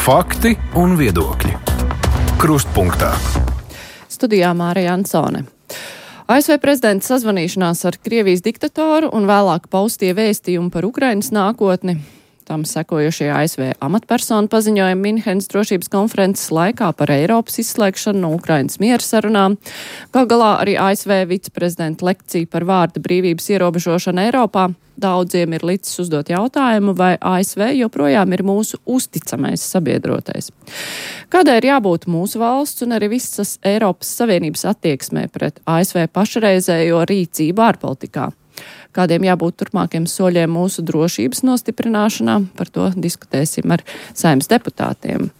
Fakti un viedokļi. Krustpunktā. Studijā Mārija Ansone. ASV prezidenta sazvanīšanās ar Krievijas diktatoru un vēlāk paustie vēstījumi par Ukrainas nākotni. Tam sekojušie ASV amatpersonu paziņojumi Minhenes drošības konferences laikā par Eiropas izslēgšanu no Ukrainas miera sarunām. Gal galā arī ASV viceprezidenta lekcija par vārda brīvības ierobežošanu Eiropā. Daudziem ir licis uzdot jautājumu, vai ASV joprojām ir mūsu uzticamais sabiedrotais. Kādai ir jābūt mūsu valsts un arī visas Eiropas Savienības attieksmē pret ASV pašreizējo rīcību ārpolitikā? Kādiem jābūt turpmākiem soļiem mūsu drošības nostiprināšanā? Par to diskutēsim ar Saeimas deputātiem.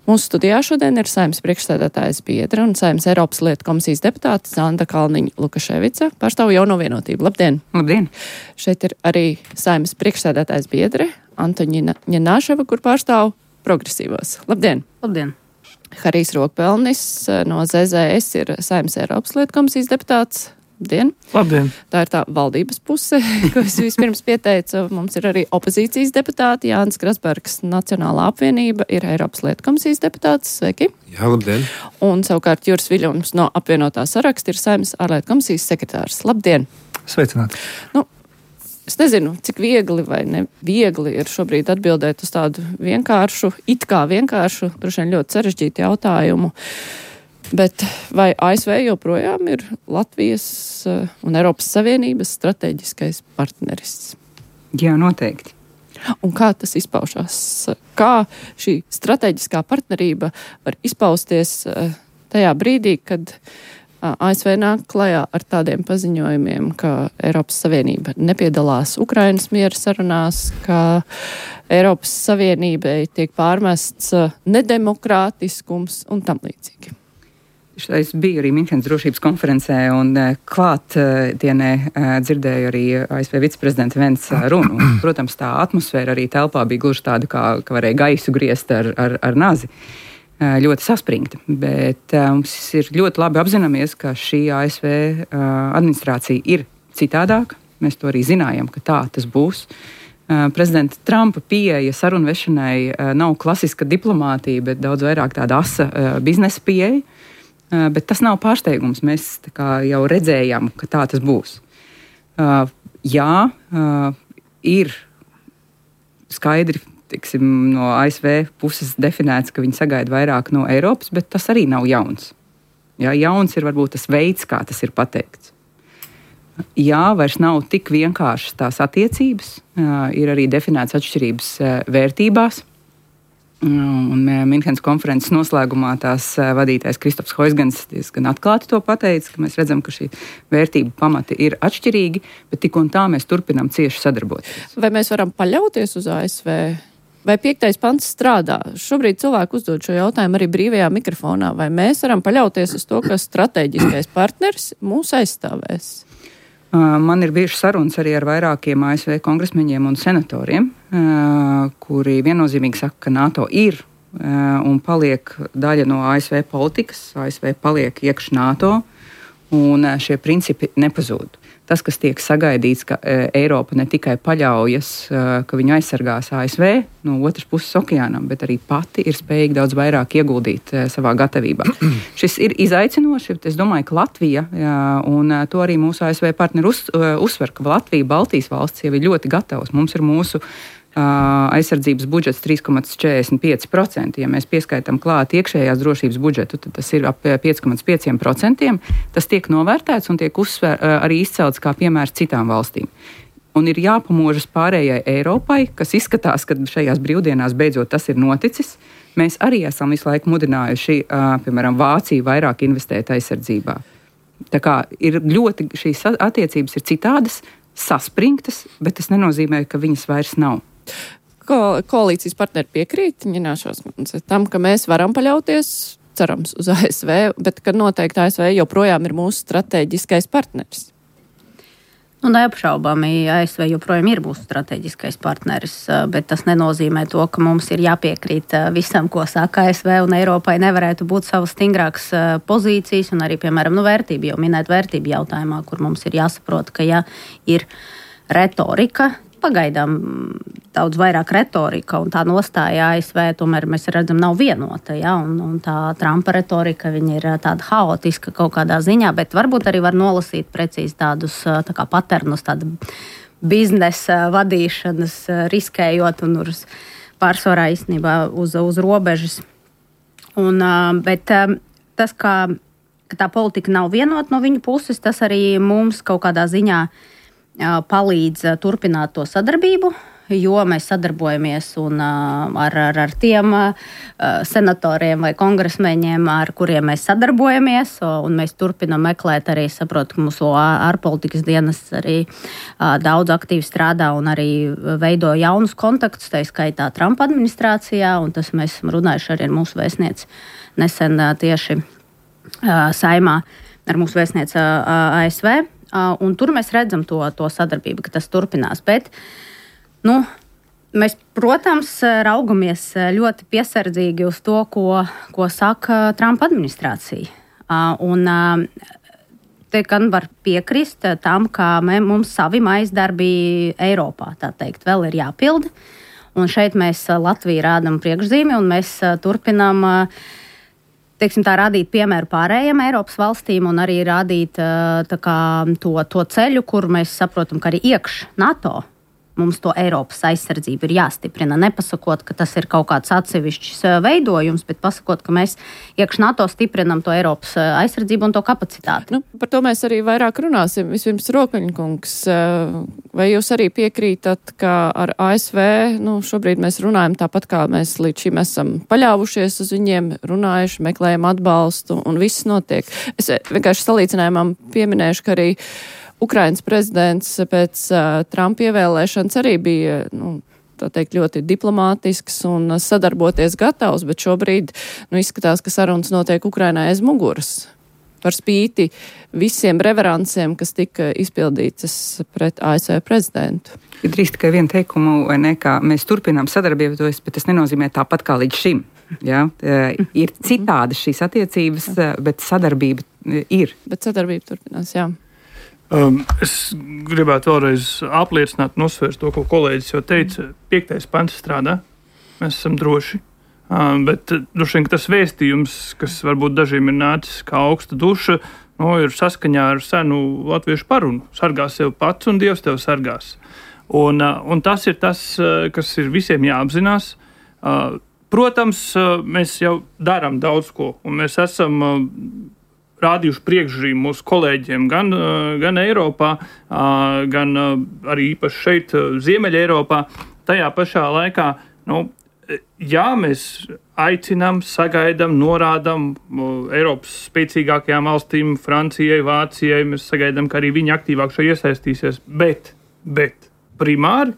Mūsu studijā šodien ir Saeimas priekšsēdētājas biedra un Saeimas Eiropas lietu komisijas deputāte Zanda Kalniņa-Lukaševica, pārstāv Jauno vienotību. Labdien! Labdien! Šeit ir arī Saeimas priekšsēdētājas biedre Antoņina Ņenāševa, kur pārstāv progresīvos. Labdien! Labdien! Harijs Rokpelnis no ZZS ir Saeimas Eiropas lietu komisijas deputāts. Labdien! Labdien! Tā ir tā valdības puse, ko es vispirms pieteicu. Mums ir arī opozīcijas deputāti. Jānis Grasbergs, Nacionālā apvienība, ir Eiropas lietu komisijas deputāts. Sveiki! Jā, labdien! Un savukārt Juris Viļņums no apvienotā saraksta ir Saeimas ārlietu komisijas sekretārs. Labdien! Sveicināti! Es nezinu, cik viegli vai neviegli ir šobrīd atbildēt uz tādu vienkāršu, droši vien ļoti sarežģītu jautājumu. Bet vai ASV joprojām ir Latvijas un Eiropas Savienības strateģiskais partneris? Jā, noteikti. Un kā tas izpaušās? Kā šī strateģiskā partnerība var izpausties tajā brīdī, kad ASV nāk klajā ar tādiem paziņojumiem, ka Eiropas Savienība nepiedalās Ukrainas miera sarunās, ka Eiropas Savienībai tiek pārmests nedemokrātiskums un tam līdzīgi? Es biju arī Minhenes drošības konferencē un klātienē dzirdēju arī ASV viceprezidenta Vence runu. Protams, tā atmosfēra arī telpā bija gluži tāda, ka varēja gaisu griezt ar nazi. Ļoti saspringta, bet mums ir ļoti labi apzināmies, ka šī ASV administrācija ir citādāka. Mēs to arī zinājām, ka tā tas būs. Prezidenta Trumpa pieeja sarunvešanai nav klasiska diplomātija, bet daudz vairāk tāda asa biznesa pieeja. Bet tas nav pārsteigums. Mēs jau redzējām, ka tā tas būs. Ir skaidri no ASV puses definēts, ka viņi sagaida vairāk no Eiropas, bet tas arī nav jauns. Jauns ir varbūt tas veids, kā tas ir pateikts. Vairs nav tik vienkāršas tās attiecības, ir arī definēts atšķirības vērtībās. Un Minhenes konferences noslēgumā tās vadītājs Kristofs Hoizgans diezgan atklāti to pateica, ka mēs redzam, ka šī vērtību pamati ir atšķirīgi, bet tik un tā mēs turpinām cieši sadarboties. Vai mēs varam paļauties uz ASV? Vai 5. pants strādā? Šobrīd cilvēki uzdod šo jautājumu arī brīvajā mikrofonā. Vai mēs varam paļauties uz to, ka strateģiskais partners mūs aizstāvēs? Man ir bijušas sarunas arī ar vairākiem ASV kongresmeņiem un senatoriem, kuri viennozīmīgi saka, ka NATO ir un paliek daļa no ASV politikas. ASV paliek iekš NATO un šie principi nepazūd. Tas, kas tiek sagaidīts, ka Eiropa ne tikai paļaujas, ka viņu aizsargās ASV no otras puses okeānam, bet arī pati ir spējīga daudz vairāk ieguldīt savā gatavībā. Šis ir izaicinoši, bet es domāju, ka Latvija, un to arī mūsu ASV partneri uzsver, ka Latvija, Baltijas valsts jau ir ļoti gatavas. Mums ir mūsu aizsardzības budžets 3,45%. Ja mēs pieskaitām klāt iekšējās drošības budžetu, tad tas ir ap 5,5%. Tas tiek novērtēts un tiek arī izcelts kā piemērs citām valstīm. Un ir jāpamožas pārējai Eiropai, kas izskatās, ka šajās brīvdienās beidzot tas ir noticis. Mēs arī esam visu laiku mudinājuši, piemēram, Vāciju vairāk investēt aizsardzībā. Tā kā ir ļoti, šīs attiecības ir citādas, saspringtas, bet tas nenozīmē, ka viņas vairs nav. Koalīcijas partneri piekrīt tam, ka mēs varam paļauties, cerams, uz ASV, bet ka noteikti ASV joprojām ir mūsu strateģiskais partneris. Neapšaubāmi ASV joprojām ir mūsu strateģiskais partneris, bet tas nenozīmē to, ka mums ir jāpiekrīt visam, ko saka ASV, un Eiropai nevarētu būt savas stingrākas pozīcijas un arī, piemēram, vērtību, jau minēt vērtību jautājumā, kur mums ir jāsaprot, ka ja ir retorika, pagaidām daudz vairāk retorika un tā nostāja ASV, tomēr mēs redzam, nav vienota. Ja? Un tā Trumpa retorika, viņa ir tāda haotiska kaut kādā ziņā, bet varbūt arī var nolasīt precīzi tādus tā kā paternus, tāda biznesa vadīšanas, riskējot un pārsvarā īstenībā uz robežas. Bet tas, ka tā politika nav vienota no viņu puses, tas arī mums kaut kādā ziņā palīdz turpināt to sadarbību, jo mēs sadarbojamies ar tiem senatoriem vai kongresmeņiem, ar kuriem mēs sadarbojamies, un mēs turpinam meklēt arī, saprotu, ka mūsu ārpolitikas dienas arī daudz aktīvi strādā un arī veido jaunus kontaktus, tā skaitā Trumpa administrācijā, un tas mēs esam runājuši arī ar mūsu vēstnieci nesen tieši saimā ar mūsu vēstnieci ASV, un tur mēs redzam to sadarbību, ka tas turpinās, bet mēs, protams, raugamies ļoti piesardzīgi uz to, ko saka Trumpa administrācija. Un te gan var piekrist tam, ka mums savi maizdarbi Eiropā, tā teikt, vēl ir jāpilda. Un šeit mēs Latviju rādam priekšzīmi, un mēs turpinām teiksim, tā rādīt piemēru pārējiem Eiropas valstīm un arī rādīt to ceļu, kur mēs saprotam, ka arī iekš NATO mums to Eiropas aizsardzību ir jāstiprina. Nepasakot, ka tas ir kaut kāds atsevišķs veidojums, bet pasakot, ka mēs iekš NATO stiprinam to Eiropas aizsardzību un to kapacitāti. Par to mēs arī vairāk runāsim. Vispirms Rokaņkungs, vai jūs arī piekrītat, ka ar ASV šobrīd mēs runājam tāpat, kā mēs līdz šim esam paļāvušies uz viņiem, runājuši, meklējam atbalstu un viss notiek. Es vienkārši salīdzinājumam pieminēšu, ka arī Ukrainas prezidents pēc Trumpa ievēlēšanas arī bija, tā teikt, ļoti diplomātisks un sadarboties gatavs, bet šobrīd izskatās, ka sarunas notiek Ukrainai aiz muguras. Par spīti visiem reveransiem, kas tika izpildītas pret ASV prezidentu. Ir drīz tikai vienu teikumu, vai ne, kā mēs turpinām sadarbību, bet tas nenozīmē tāpat kā līdz šim. Ja? Ir citādas šīs attiecības, bet sadarbība ir. Bet sadarbība turpinās, jā. Es gribētu vēlreiz apliecināt un uzsvērt to, ko kolēģis jau teica. 5. pants strādā, mēs esam droši, bet droši vien tas vēstījums, kas varbūt dažiem ir nācis kā augsta duša, ir saskaņā ar senu latviešu parunu. Sargā sev pats un Dievs tev sargās. Un tas ir tas, kas ir visiem jāapzinās. Protams, mēs jau darām daudz ko, un mēs esam rādījuši priekšrīmu mūsu kolēģiem gan Eiropā, gan arī īpaši šeit, Ziemeļa Eiropā. Tajā pašā laikā, jā, mēs aicinām, sagaidām, norādām Eiropas spēcīgākajām valstīm, Francijai, Vācijai, mēs sagaidām, ka arī viņi aktīvāk šeit iesaistīsies, bet primāri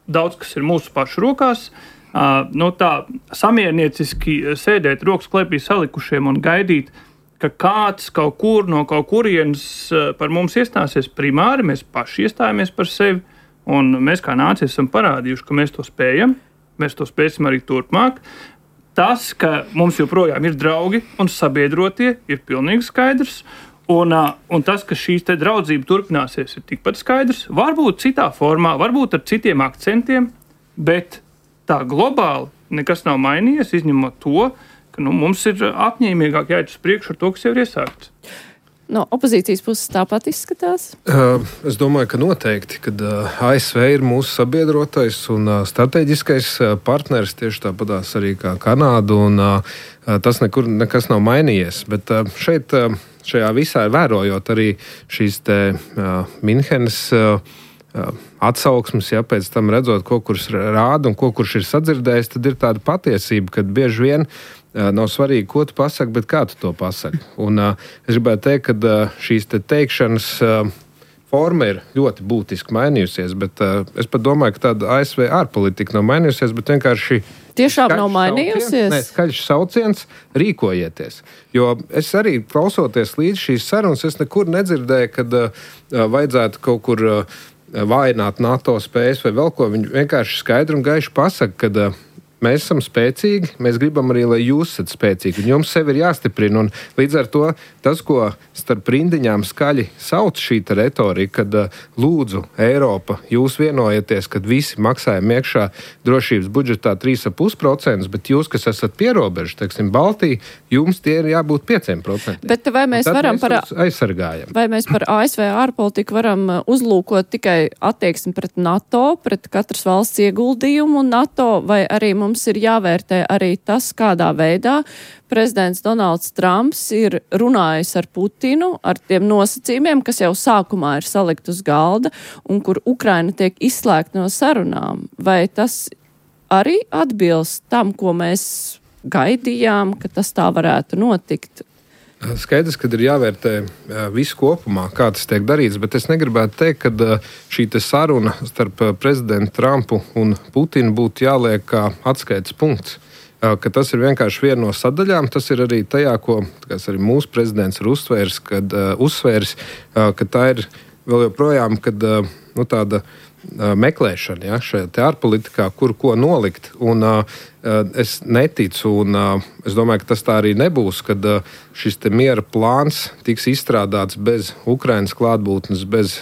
daudz kas ir mūsu pašu rokās. Tā samiernieciski sēdēt rokas klēpī salikušiem un gaidīt, ka kāds kaut kur no kaut kurienes par mums iestāsies primāri, mēs paši iestājamies par sevi, un mēs kā nācija esam parādījuši, ka mēs to spējam, mēs to spēsim arī turpmāk. Tas, ka mums joprojām ir draugi un sabiedrotie, ir pilnīgi skaidrs, un tas, ka šīs te draudzība turpināsies, ir tikpat skaidrs, varbūt citā formā, varbūt ar citiem akcentiem, bet tā globāli nekas nav mainījies, izņemot to, ka mums ir apņēmīgāk jāiet uz priekšu ar to, kas jau ir iesākts. No opozīcijas puses tāpat izskatās? Es domāju, ka noteikti, kad ASV ir mūsu sabiedrotais un strateģiskais partneris, tieši tāpatās arī kā Kanāda, un tas nekas nav mainījies. Bet šajā visā ir vērojot arī šīs te Minhenes atsauksmes, ja pēc tam redzot, ko kurš rāda un ko kurš ir sadzirdējis, tad ir tāda patiesība, ka bieži vien nav svarīgi, ko tu pasaki, bet kā tu to pasaki. Un es gribētu teikt, ka šīs teikšanas forma ir ļoti būtiski mainījusies, bet es pat domāju, ka tāda ASV ārpolitika nav mainījusies, bet vienkārši tiešām nav mainījusies? Skaļš sauciens, rīkojieties. Jo es arī klausoties līdz šīs sarunas, es nekur nedzirdēju, kad vajadzētu kaut kur vājināt NATO spējas vai vēl ko. Viņi vienkārši skaidri un gaiši pasaka, ka mēs esam spēcīgi, mēs gribam arī, lai jūs esat spēcīgi, un jums sevi ir jāstiprina. Un līdz ar to tas, ko starp rindiņām skaļi sauc šī retorika, kad lūdzu Eiropa, jūs vienojieties, kad visi maksājumi iekšā drošības budžetā 3,5%, bet jūs, kas esat pierobežu, teiksim, Baltija, jums tie ir jābūt 5%. Bet vai mēs varam aizsargājam? Vai mēs par ASV ārpolitiku varam uzlūkot tikai attieksmi pret NATO, pret katras valsts ieguldījumu NATO, vai arī mums ir jāvērtē arī tas, kādā veidā prezidents Donalds Trumps ir runājis ar Putinu, ar tiem nosacījumiem, kas jau sākumā ir salikt uz galda, un kur Ukraina tiek izslēgta no sarunām. Vai tas arī atbilst tam, ko mēs gaidījām, ka tas tā varētu notikt? Skaidrs, ka ir jāvērtē viss kopumā, kā tas tiek darīts, bet es negribētu teikt, ka šī saruna starp prezidentu Trumpu un Putinu būtu jāliek kā atskaites punkts. Ka tas ir vienkārši viena no sadaļām. Tas ir arī tajā, ko arī mūsu prezidents ir uzsvērs, ka tā ir vēl joprojām tāda meklēšana, ja, šajā ārpolitikā, kur ko nolikt. Un es neticu, un es domāju, ka tas tā arī nebūs, kad šis miera plāns tiks izstrādāts bez Ukrainas klātbūtnes, bez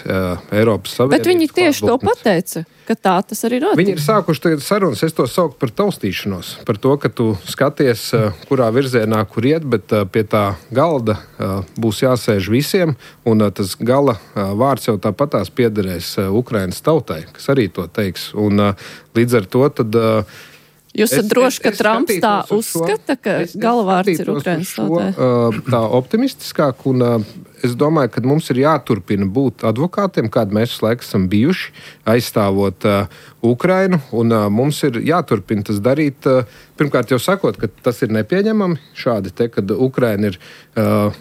Eiropas Savienības. Bet viņi tieši to pateica, ka tā tas arī notiek. Viņi ir sākuši tagad sarunas, es to saucu par taustīšanos, par to, ka tu skaties, kurā virzienā, kur iet, bet pie tā galda būs jāsēž visiem, un tas gala vārds jau tāpatās piederēs Ukrainas tautai, kas arī to teiks. Un līdz ar to tad Jūs esat droši, ka Trumps tā uzskata, ka galvārds ir Ukrainas tautai? Tā optimistiskāk, un es domāju, ka mums ir jāturpina būt advokātiem, kādi mēs laikam esam bijuši, aizstāvot Ukrainu, un mums ir jāturpina tas darīt. Pirmkārt jau sakot, ka tas ir nepieņemami šādi te, kad Ukraina ir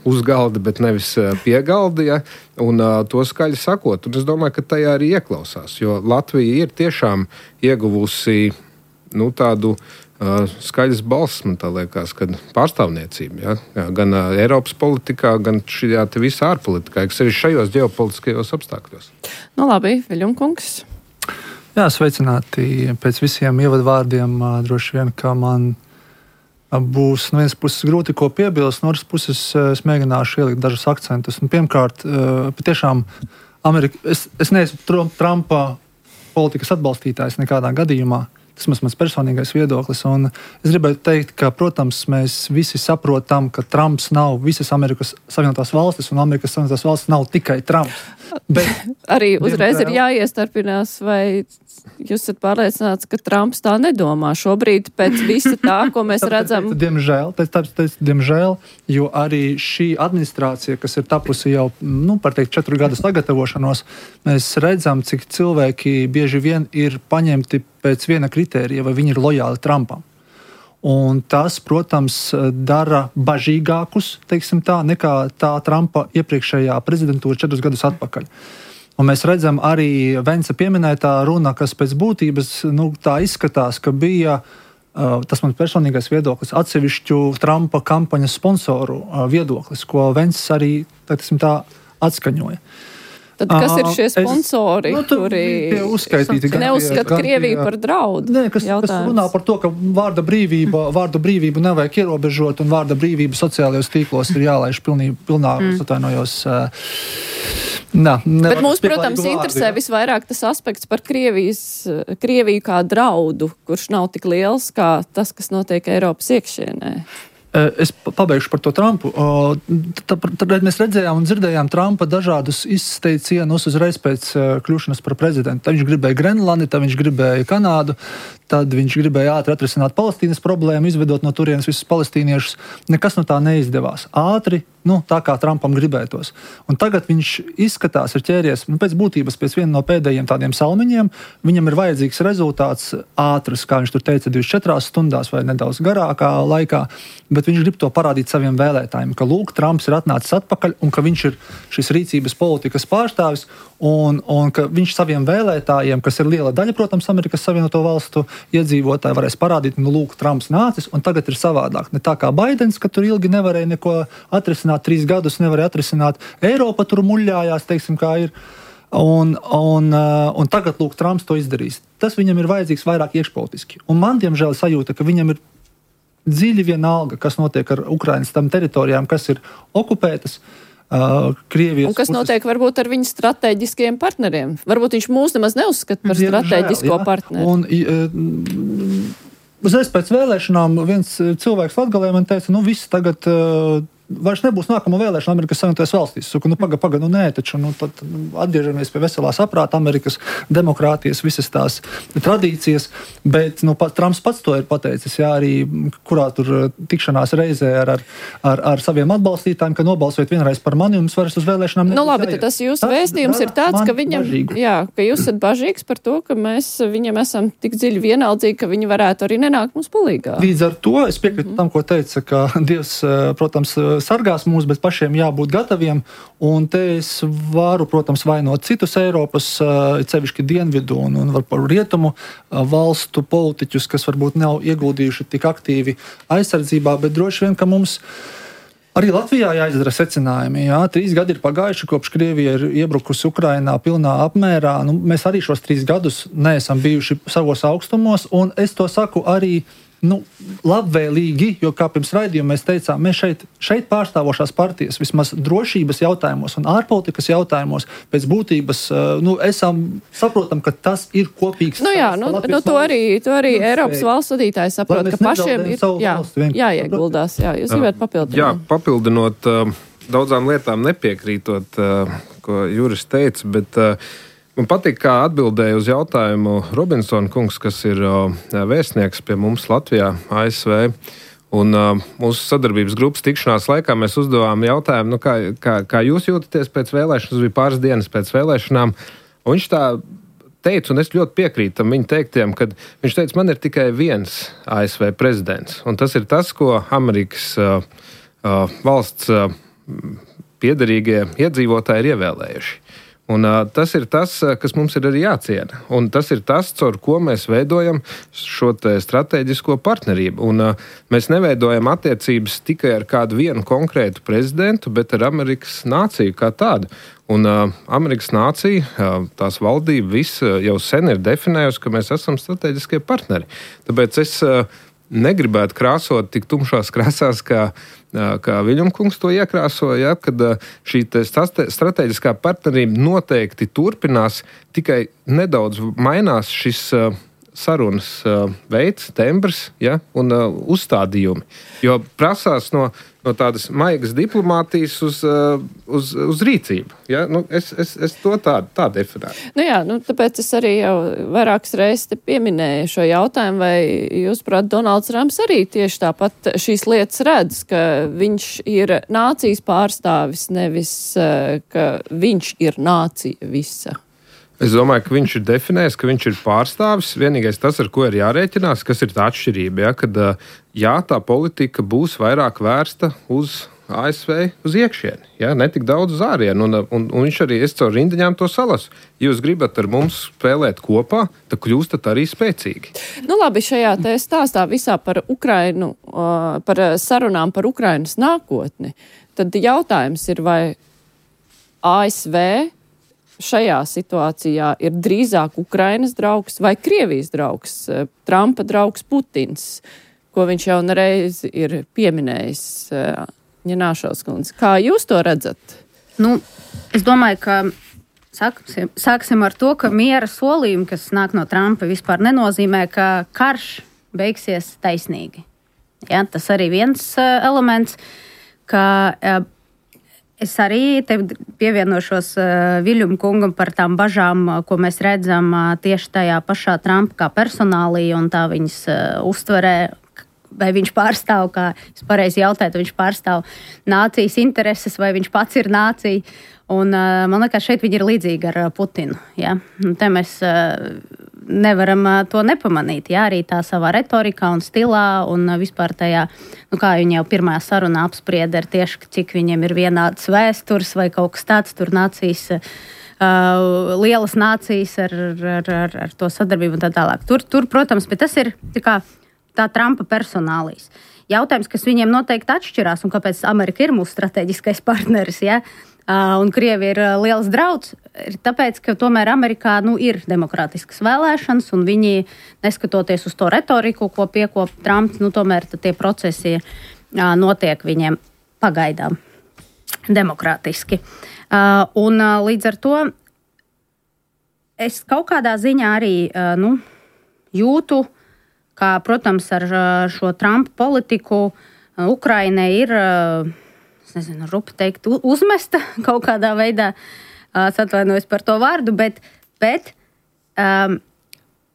uz galda, bet nevis pie galda, ja, un to skaļi sakot. Un es domāju, ka tajā arī ieklausās, jo Latvija ir tiešām ieguvusi tādu skaļas balss, man tā liekas, kad pārstāvniecība, ja? Gan Eiropas politikā, gan šajā visā ārpolitikā, kas arī šajos ģeopolitiskajos apstākļos. Labi, Viļņumkungs. Jā, sveicināti. Pēc visiem ievadvārdiem droši vien, ka man būs no vienas puses grūti ko piebilst, no otras puses es mēģināšu ielikt dažus akcentus. Un pirmkārt, patiešām es neesmu Trumpa politikas atbalstītājs nekādā gadījumā. Tas ir mans personīgais viedoklis. Un es gribētu teikt, ka, protams, mēs visi saprotam, ka Trumps nav visas Amerikas Savienotās valstis, un Amerikas Savienotās valstis nav tikai Trumps. Bet arī uzreiz ir jāiestarpinās, vai jūs esat pārliecināts, ka Trumps tā nedomā šobrīd pēc visa tā, ko mēs redzam? Diemžēl, jo arī šī administrācija, kas ir tapusi jau, 4 gadu sagatavošanos, mēs redzam, cik cilvēki bieži vien ir paņemti pēc viena kritērija, vai viņi ir lojāli Trumpam. Un tas, protams, dara bažīgākus, teiksim tā, nekā tā Trumpa iepriekšējā prezidentūra 4 gadus atpakaļ. Un mēs redzam arī Vence pieminētā runa, kas pēc būtības tā izskatās, ka bija, tas man personīgais viedoklis, atsevišķu Trumpa kampaņas sponsoru viedoklis, ko Vence arī, teiksim tā, atskaņoja. Tad kas ir šie sponsori, kuri neuzskata Krieviju par draudu? Nē, kas runā par to, ka vārda brīvību nevajag ierobežot, un vārda brīvība sociālajos tīklos ir jālaiž pilnā, atvainojos. Bet mūs, protams, interesē visvairāk tas aspekts par Krieviju kā draudu, kurš nav tik liels kā tas, kas notiek Eiropas iekšienē. Es pabeigšu par to Trumpu. Tad mēs redzējām un dzirdējām Trumpa dažādus izteicienus uzreiz pēc kļūšanas par prezidentu. Tad viņš gribēja Grenlandi, tad viņš gribēja Kanādu, tad viņš gribēja ātri atrisināt Palestīnas problēmu, izvedot no turienes visus palestīniešus. Nekas no tā neizdevās. Ātri, tā kā Trumpam gribētos. Un tagad viņš izskatās, ir ķēries pēc būtības, pēc viena no pēdējiem tādiem salmiņiem. Viņam ir vajadzīgs rezultāts ātrs, kā viņš tur teica, 24 stundās vai nedaudz garākā laikā, bet viņš grib to parādīt saviem vēlētājiem, ka lūk, Trumps ir atnācis atpakaļ un ka viņš ir šis rīcības politikas pārstāvis un ka viņš saviem vēlētājiem, kas ir liela daļa, protams, Amerikas Savienoto valstu iedzīvotāji, varēs parādīt, lūk, Trumps nācis un tagad ir savādāk. Ne tā kā Baidens, ka tur ilgi nevarēja neko atrisināt, 3 gadus nevarēja atrisināt. Eiropa tur muļļājās, teiksim, kā ir. Un tagad, lūk, Trumps to izdarīs. Tas viņam ir vajadzīgs vairāk iekšpolitiski. Un man, diemžēl, sajūta, ka viņam ir dziļi vienalga, kas notiek ar Ukrainas tam teritorijām, kas ir okupētas. Krievijas un kas notiek varbūt ar viņu strateģiskiem partneriem? Varbūt viņš mūs nemaz neuzskata par strateģisko partneri. Un uzreiz pēc vēlēšanām viens cilvēks Latgalē man teica, viss tagad vairs nebūs nākamo vēlēšana Amerikas Savienotajās valstīs. Saku, paga, nē, taču tad atgriežamies pie veselā saprāta, Amerikas demokrātijas, visas tās tradīcijas, bet Trumps pats to ir pateicis, arī kurā tur tikšanās reizē ar saviem atbalstītājiem, ka nobalsojiet vienreiz par mani, un vairs uz vēlēšanām nebūs labi, tad tas jūsu vēstījums ir tāds, ka viņam, ka jūs esat bažīgs par to, ka mēs viņam esam tik dziļi vienaldzīgi, ka viņi varētu arī nenākt mums palīgā. Līdz ar to es piekrītu tam, ko teica, ka Dievs, protams, sargās mūs, bet pašiem jābūt gataviem, un te es varu, protams, vainot citus Eiropas, cevišķi dienvidu un par rietumu valstu politiķus, kas varbūt nav ieguldījuši tik aktīvi aizsardzībā, bet droši vien, ka mums arī Latvijā jāizdara secinājumi. 3 gadi ir pagājuši, kopš Krievija ir iebrukusi Ukrainā pilnā apmērā. Mēs arī šos 3 gadus neesam bijuši savos augstumos, un es to saku arī labvēlīgi, jo kā pirms raidījuma mēs teicām, mēs šeit pārstāvošās partijas vismaz drošības jautājumos un ārpolitikas jautājumos pēc būtības saprotam, ka tas ir kopīgs. To arī Eiropas valsts vadītāji saprot, ka pašiem ir jāieguldās. Jūs gribētu papildināt? Jā, papildinot daudzām lietām nepiekrītot, ko Juris teica, bet man patīk, kā atbildēja uz jautājumu Robinsona kungs, kas ir vēstnieks pie mums Latvijā, ASV. Un mūsu sadarbības grupas tikšanās laikā mēs uzdevām jautājumu, kā jūs jūtaties pēc vēlēšanas, tas bija pāris dienas pēc vēlēšanām. Un viņš tā teica, un es ļoti piekrītu tam viņa teiktiem, kad viņš teica, man ir tikai viens ASV prezidents. Un tas ir tas, ko Amerikas valsts piederīgie iedzīvotāji ir ievēlējuši. Un tas ir tas, kas mums ir arī jāciena. Un tas ir tas, caur ko mēs veidojam šo strateģisko partnerību. Un mēs neveidojam attiecības tikai ar kādu vienu konkrētu prezidentu, bet ar Amerikas nāciju kā tādu. Un Amerikas nācija, tās valdība, viss jau sen ir definējusi, ka mēs esam strateģiskie partneri. Tāpēc es negribētu krāsot tik tumšās krāsās, kā Viļņumkungs to iekrāsoja, kad šī strateģiskā partnerība noteikti turpinās, tikai nedaudz mainās šis sarunas veids, tembrs un uzstādījumi. Jo prasās no tādas maigas diplomātijas uz rīcību. Ja? Es to tā definēju. Tāpēc es arī jau vairākas reizes pieminēju šo jautājumu, vai jūs, prāt, Donalds Trumps arī tieši tāpat šīs lietas redz, ka viņš ir nācijas pārstāvis, nevis ka viņš ir nācija visa. Es domāju, ka viņš ir definējis, ka viņš ir pārstāvis. Vienīgais tas, ar ko ir jārēķinās, kas ir tā atšķirība, kad tā politika būs vairāk vērsta uz ASV, uz iekšieni, ne tik daudz uz ārienu. Un viņš arī, es caur rindiņām to salasu. Ja jūs gribat ar mums spēlēt kopā, tad kļūstat arī spēcīgi. Labi, šajā stāstā visā par Ukrainu, par sarunām par Ukrainas nākotni, tad jautājums ir, vai ASV šajā situācijā ir drīzāk Ukrainas draugs vai Krievijas draugs, Trumpa draugs Putins, ko viņš jau reiz ir pieminējis, Ņināšovs kundze. Kā jūs to redzat? Es domāju, ka sāksim ar to, ka miera solījumi, kas nāk no Trumpa, vispār nenozīmē, ka karš beigsies taisnīgi. Tas arī viens elements, ka es arī te pievienošos Viļņuma kungam par tām bažām, ko mēs redzam tieši tajā pašā Trumpa kā personālī un tā viņas uztverē, vai viņš pārstāv, kā es pareizi jautāju, vai viņš pārstāv nācijas intereses, vai viņš pats ir nācija. Un man liekas, šeit viņi ir līdzīgi ar Putinu. Ja? Te mēs nevaram to nepamanīt. Ja? Arī tā savā retorikā un stilā un vispār tajā, kā viņi jau pirmajā sarunā apsprieda, tieši cik viņiem ir vienāds vēstures vai kaut kas tāds, tur nācijas, lielas nācijas ar to sadarbību un tā tālāk. Tur, protams, bet tas ir tā Trumpa personālijas. Jautājums, kas viņiem noteikti atšķirās un kāpēc Amerika ir mūsu strateģiskais partneris, un Krievi ir liels drauds, ir tāpēc, ka tomēr Amerikā ir demokrātiskas vēlēšanas, un viņi, neskatoties uz to retoriku, ko piekop Trumps, tomēr tie procesi notiek viņiem pagaidām demokrātiski. Un līdz ar to es kaut kādā ziņā arī jūtu, kā, protams, ar šo Trumpa politiku Ukraina ir, es nezinu, rupi teikt, uzmesta kaut kādā veidā, atvainojos par to vārdu, bet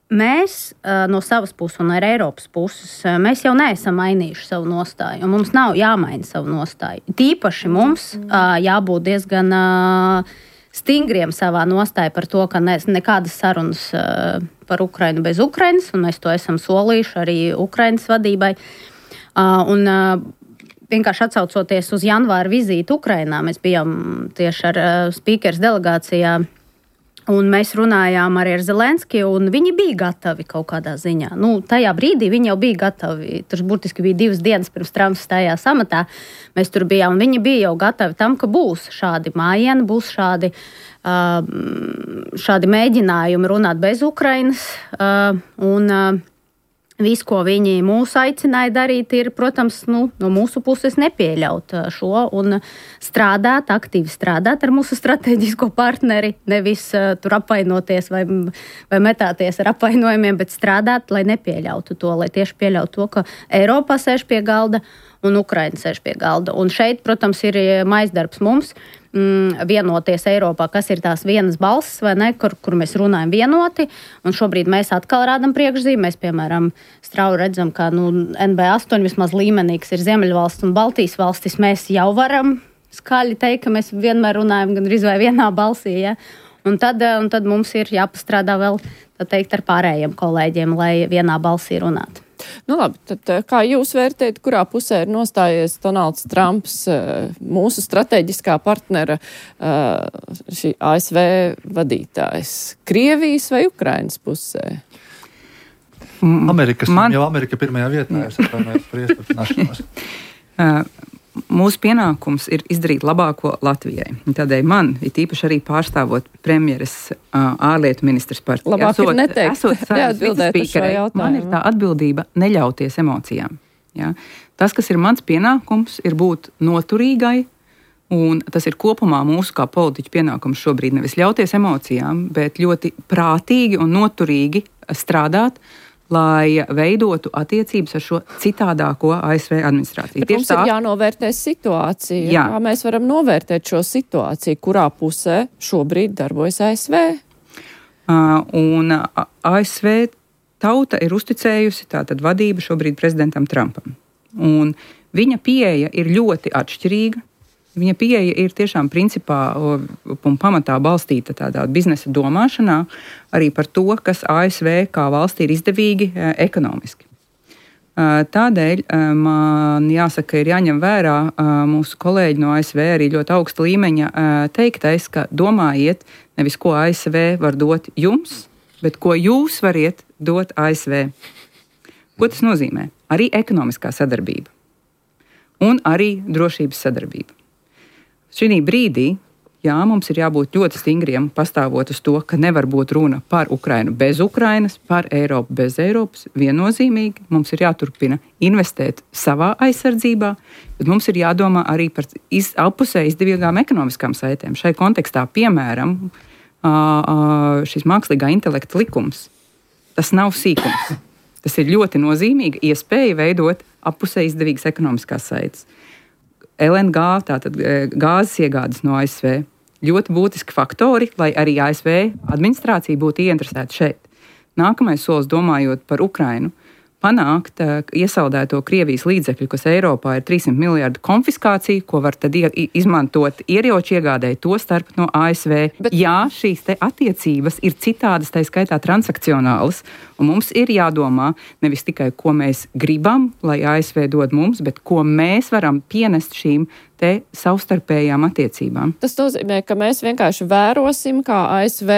mēs no savas puses un ar Eiropas puses, mēs jau neesam mainījuši savu nostāju, un mums nav jāmaina savu nostāju. Tīpaši mums jābūt diezgan stingriem savā nostāja par to, ka nekādas sarunas par Ukrainu bez Ukrainas, un mēs to esam solījuši arī Ukrainas vadībai. Un vienkārši atsaucoties uz janvāra vizīti Ukrainā, mēs bijām tieši ar spīkeres delegācijā, un mēs runājām arī ar Zelenskiju, un viņi bija gatavi kaut kādā ziņā. Tajā brīdī viņi jau bija gatavi. Tur burtiski bija 2 dienas pirms Trumps stājās amatā. Mēs tur bijām, un viņi bija jau gatavi tam, ka būs šādi mājieni, būs šādi mēģinājumi runāt bez Ukrainas. Viss, ko viņi mūs aicināja darīt, ir, protams, no mūsu puses nepieļaut šo un aktīvi strādāt ar mūsu strateģisko partneri, nevis tur apvainoties vai metāties ar apvainojumiem, bet strādāt, lai nepieļautu to, lai tieši pieļautu to, ka Eiropā sēž pie galda un Ukraina sēž pie galda. Un šeit, protams, ir maisdarbs mums vienoties Eiropā, kas ir tās vienas balsis, vai ne, kur mēs runājam vienoti, un šobrīd mēs atkal rādam priekšzīmi. Mēs, piemēram, strauji redzam, ka NB8 vismaz līmenī, kas ir Ziemeļvalsts un Baltijas valstis, mēs jau varam skaļi teikt, ka mēs vienmēr runājam gan arī vienā balsī, ja? Un tad mums ir jāpastrādā vēl, tā teikt, ar pārējiem kolēģiem, lai vienā balsī runātu. Labi, tad kā jūs vērtējat, kurā pusē ir nostājies Donalds Trumps, mūsu strateģiskā partnera, šī ASV vadītājs? Krievijas vai Ukrainas pusē? Amerika pirmajā vietā, es atvainojos par iespaļināšanos. Mūsu pienākums ir izdarīt labāko Latvijai. Tādēļ man, it īpaši arī pārstāvot premjeras ārlietu ministrs partiju, labāk ir neteikt, neatbildēt uz šo jautājumu. Man ir tā atbildība neļauties emocijām. Ja? Tas, kas ir mans pienākums, ir būt noturīgai, un tas ir kopumā mūsu kā politiķu pienākums šobrīd nevis ļauties emocijām, bet ļoti prātīgi un noturīgi strādāt, lai veidotu attiecības ar šo citādāko ASV administrāciju. Bet mums ir jānovērtē situācija. Jā. Kā mēs varam novērtēt šo situāciju, kurā pusē šobrīd darbojas ASV? Un ASV tauta ir uzticējusi tātad vadību šobrīd prezidentam Trumpam. Un viņa pieeja ir ļoti atšķirīga. Viņa pieeja ir tiešām principā un pamatā balstīta tādā biznesa domāšanā arī par to, kas ASV kā valstī ir izdevīgi ekonomiski. Tādēļ man jāsaka, ir jāņem vērā mūsu kolēģi no ASV arī ļoti augsta līmeņa teiktais, ka domājiet nevis, ko ASV var dot jums, bet ko jūs variet dot ASV. Ko tas nozīmē? Arī ekonomiskā sadarbība un arī drošības sadarbība. Šī brīdī, mums ir jābūt ļoti stingriem, pastāvot uz to, ka nevar būt runa par Ukrainu bez Ukrainas, par Eiropu bez Eiropas. Viennozīmīgi mums ir jāturpina investēt savā aizsardzībā, bet mums ir jādomā arī par apusē izdevīgām ekonomiskām saitēm. Šai kontekstā, piemēram, šis mākslīgā intelekta likums, tas nav sīkums. Tas ir ļoti nozīmīga iespēja veidot apusē izdevīgas ekonomiskās saites. LNG, tātad gāzes iegādes no ASV, ļoti būtiski faktori, lai arī ASV administrācija būtu ieinteresēta šeit. Nākamais solis, domājot par Ukrainu, panākt iesaldēto Krievijas līdzekļu, kas Eiropā ir 300 miljardu konfiskācija, ko var tad izmantot ieroču iegādēji, to starp no ASV. Jā, šīs te attiecības ir citādas, tā skaitā transakcionālas, un mums ir jādomā nevis tikai, ko mēs gribam, lai ASV dod mums, bet ko mēs varam pienest šīm te savstarpējām attiecībām. Tas nozīmē, ka mēs vienkārši vērosim, kā ASV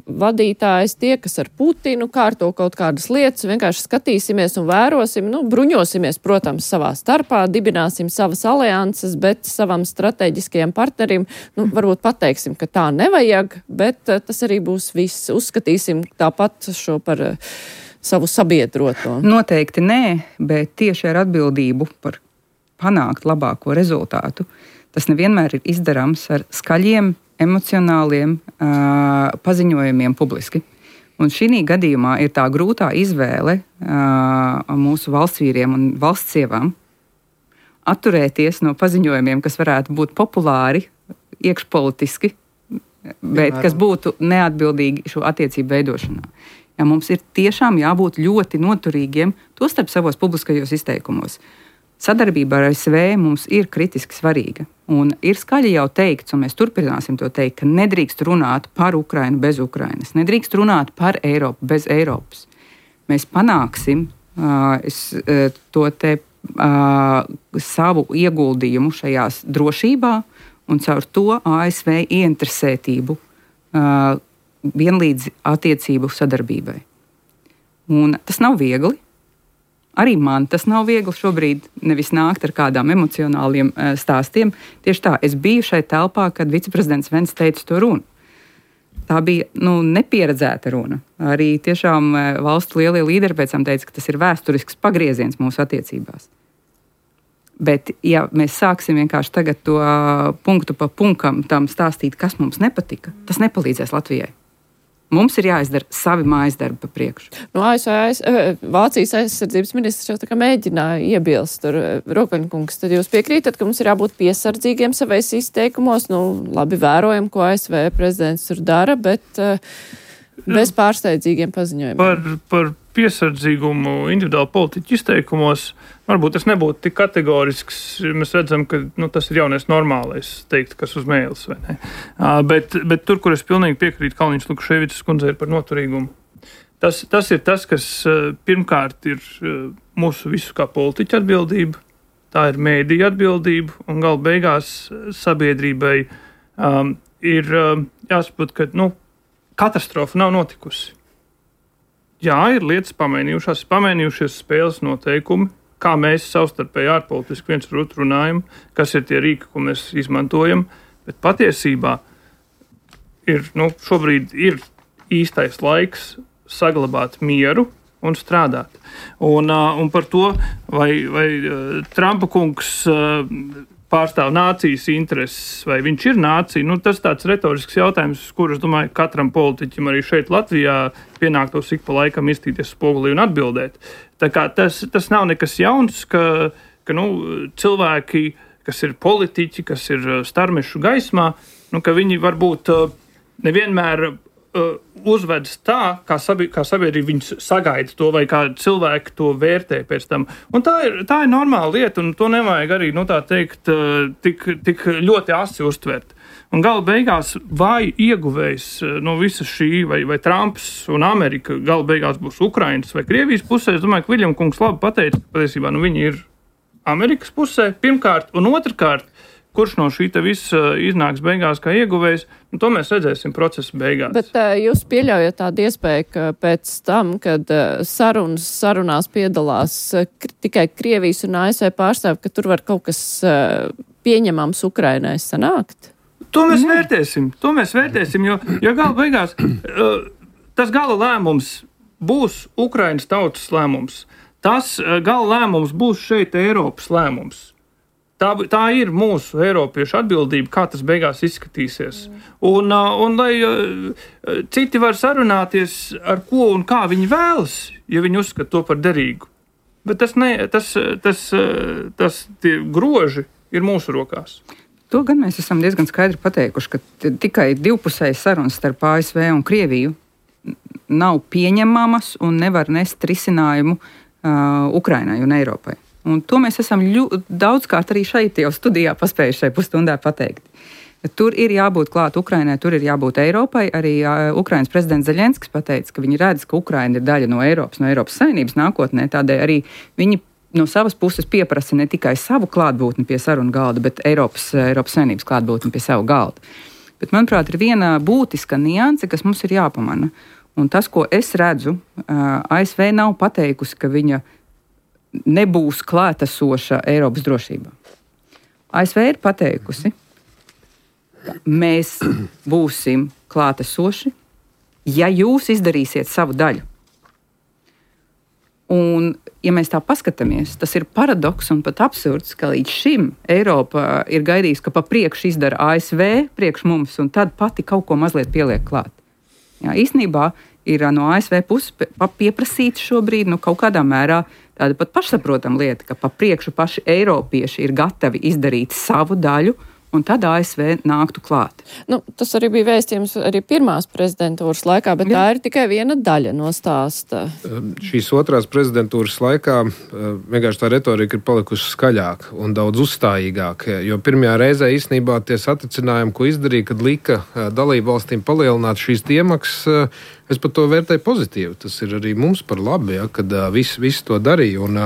vadītājs tiekas ar Putinu, kārto kaut kādas lietas, vienkārši skatīsimies un vērosim, bruņosimies, protams, savā starpā, dibināsim savas alianses, bet savam strateģiskajam partnerim, varbūt pateiksim, ka tā nevajag, bet tas arī būs viss. Uzskatīsim tāpat šo par savu sabiedroto. Noteikti nē, bet tieši ar atbildību par panākt labāko rezultātu, tas nevienmēr ir izdarāms ar skaļiem, emocionāliem paziņojumiem publiski. Un šī gadījumā ir tā grūtā izvēle mūsu valstsvīriem un valstsievām atturēties no paziņojumiem, kas varētu būt populāri, iekšpolitiski, bet kas būtu neatbildīgi šo attiecību veidošanā. Ja mums ir tiešām jābūt ļoti noturīgiem, tostarp savos publiskajos izteikumos. Sadarbība ar ASV mums ir kritiski svarīga. Un ir skaļi jau teikts, un mēs turpināsim to teikt, ka nedrīkst runāt par Ukrainu bez Ukrainas. Nedrīkst runāt par Eiropu bez Eiropas. Mēs panāksim savu ieguldījumu šajās drošībā un caur to ASV ieinteresētību vienlīdz attiecību sadarbībai. Un tas nav viegli. Arī man tas nav viegli šobrīd nevis nākt ar kādām emocionāliem stāstiem. Tieši tā, es biju šai telpā, kad viceprezidents Vents teica to runu. Tā bija nepieredzēta runa. Arī tiešām valstu lielie līderi pēc tam teica, ka tas ir vēsturisks pagrieziens mūsu attiecībās. Bet, ja mēs sāksim vienkārši tagad to punktu pa punktam tam stāstīt, kas mums nepatika, tas nepalīdzēs Latvijai. Mums ir jāizdara savi mājas darbi pa priekšu. Vācijas aizsardzības ministrs jau tā kā mēģināja iebilst tur, Rokaņkungs, tad jūs piekrītat, ka mums ir jābūt piesardzīgiem savais izteikumos, labi vērojam, ko ASV prezidents tur dara, bet bez pārsteidzīgiem paziņojumiem. Par piesardzīgumu individuāli politiķu izteikumos, varbūt tas nebūtu tik kategorisks, mēs redzam, ka tas ir jaunais normālais teikt, kas uz mēles, vai ne? Bet tur, kur es pilnīgi piekrītu Kalniņš Lukaševičs kundzei ir par noturīgumu. Tas ir tas, kas pirmkārt ir mūsu visu kā politiķu atbildība, tā ir mēdīju atbildība, un gala beigās sabiedrībai ir jāsaprot, ka katastrofa nav notikusi. Jā, ir lietas pamainījušies spēles noteikumi, kā mēs savstarpēji ārpolitiski viens ar otru runājam, kas ir tie rīki, ko mēs izmantojam, bet patiesībā šobrīd ir īstais laiks saglabāt mieru un strādāt. Un par to, vai Trumpa kungs pārstāv nācijas intereses, vai viņš ir nācija, tas tāds retorisks jautājums, kurus, domāju, katram politiķim arī šeit Latvijā pienāktos ik pa laikam iztīties spogulī un atbildēt. Tā kā tas nav nekas jauns, ka cilvēki, kas ir politiķi, kas ir starmešu gaismā, ka viņi varbūt nevienmēr uzvedas tā, kā sabiedrība viņus sagaida to, vai kā cilvēki to vērtē pēc tam. Un tā ir normāla lieta, un to nevajag arī, tā teikt, tik ļoti asi uztvert. Un gala beigās vai ieguvējs no visa šī, vai Trumps un Amerika gala beigās būs Ukrainas vai Krievijas pusē, es domāju, ka Viļam kungs labi pateica, ka patiesībā viņi ir Amerikas pusē pirmkārt, un otrkārt, kurš no šī visa iznāks beigās kā ieguvējs, to mēs redzēsim procesa beigās. Bet jūs pieļaujat tādu iespēju, ka pēc tam, kad sarunās piedalās tikai Krievijas un ASV pārstāvi, ka tur var kaut kas pieņemams Ukrainai sanākt? To mēs vērtēsim, jo gala beigās tas gala lēmums būs Ukrainas tautas lēmums. Tas gala lēmums būs šeit Eiropas lēmums. Tā ir mūsu eiropiešu atbildība, kā tas beigās izskatīsies. Un lai citi var sarunāties, ar ko un kā viņi vēlas, ja viņi uzskata to par derīgu. Bet tie groži ir mūsu rokās. To gan mēs esam diezgan skaidri pateikuši, ka tikai divpusējas sarunas starp ASV un Krieviju nav pieņemamas un nevar nest risinājumu Ukrainai un Eiropai. Un to mēs esam daudzkārt arī šeit jau studijā paspējuši šai pusstundā pateikt. Tur ir jābūt klāt Ukrainai, tur ir jābūt Eiropai. Arī Ukrainas prezidents Zeļenskis pateica, ka viņi redz, ka Ukraina ir daļa no Eiropas Savienības nākotnē. Tādēļ arī viņi no savas puses pieprasa ne tikai savu klātbūtni pie sarunu galda, bet Eiropas Savienības klātbūtni pie savu galdu. Bet, manuprāt, ir viena būtiska nianse, kas mums ir jāpamana. Un tas, ko es redzu, ASV nav pateikusi, ka viņa nebūs klātesoša Eiropas drošībā. ASV ir pateikusi, ka mēs būsim klātesoši, ja jūs izdarīsiet savu daļu. Un, ja mēs tā paskatāmies, tas ir paradoks un pat absurds, ka līdz šim Eiropa ir gaidījusi, ka pa priekšu izdara ASV priekš mums, un tad pati kaut ko mazliet pieliek klāt. Jā, īstenībā ir no ASV puses pieprasīta šobrīd kaut kādā mērā tāda pat pašsaprotama lieta, ka pa priekšu paši eiropieši ir gatavi izdarīt savu daļu, un tad ASV nāktu klāt. Tas arī bija vēstījums arī pirmās prezidentūras laikā, bet tā ir tikai viena daļa no stāsta. Šīs otrās prezidentūras laikā vienkārši tā retorika ir palikusi skaļāka un daudz uzstājīgāka, jo pirmajā reizē īstenībā tie satricinājumi, ko izdarīja, kad lika dalību valstīm palielināt šīs iemaksas, es pat to vērtēju pozitīvi. Tas ir arī mums par labi, ja, kad visi to darīja. Un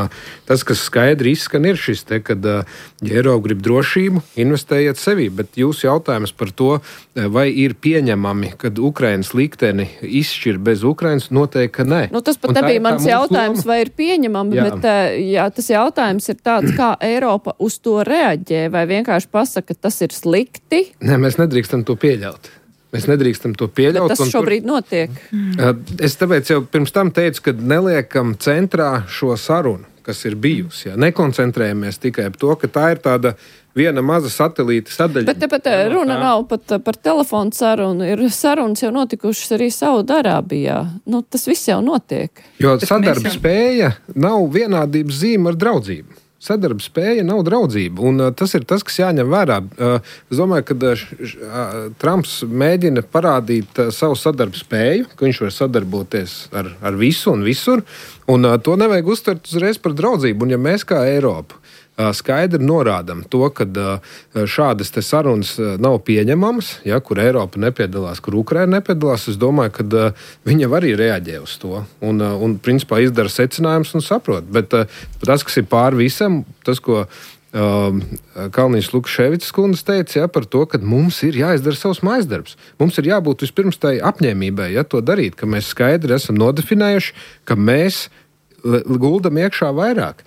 tas, kas skaidri izskan, ir šis te, kad ja Eiropa grib drošību, investējiet sevī. Bet jūsu jautājums par to, vai ir pieņemami, kad Ukrainas likteni izšķir bez Ukrainas, noteikti, ka nē. Tas pat nebija mans jautājums, vai ir pieņemami, bet tas jautājums ir tāds, kā Eiropa uz to reaģē, vai vienkārši pasaka, ka tas ir slikti? Nē, mēs nedrīkstam to pieļaut. Mēs nedrīkstam to pieļaut. Bet tas šobrīd notiek. Es tāpēc jau pirms tam teicu, ka neliekam centrā šo sarunu, kas ir bijusi. Ja? Nekoncentrējamies tikai par to, ka tā ir tāda viena maza satelīta sadaļa. Bet tepat runa nav pat par telefonu sarunu. Ir sarunas jau notikušas arī Saudarābijā. Tas viss jau notiek. Jo sadarbspēja nav vienādības zīme ar draudzību. Sadarbspēja nav draudzība, un tas ir tas, kas jāņem vērā. Es domāju, ka Trumps mēģina parādīt savu sadarbspēju, ka viņš var sadarboties ar visu un visur, un to nevajag uztvert uzreiz par draudzību. Un ja mēs kā Eiropa skaidri norādam to, ka šādas te sarunas nav pieņemamas, ja, kur Eiropa nepiedalās, kur Ukraina nepiedalās, es domāju, ka viņa arī reaģē uz to un principā izdara secinājumus un saprot. Bet tas, kas ir pār visam, tas, ko Kalniņš Lukaševics kundze teica, ja, par to, ka mums ir jāizdara savs mājasdarbs. Mums ir jābūt vispirms tai apņēmībai, ja, to darīt, ka mēs skaidri esam nodefinējuši, ka mēs guldam iekšā vairāk.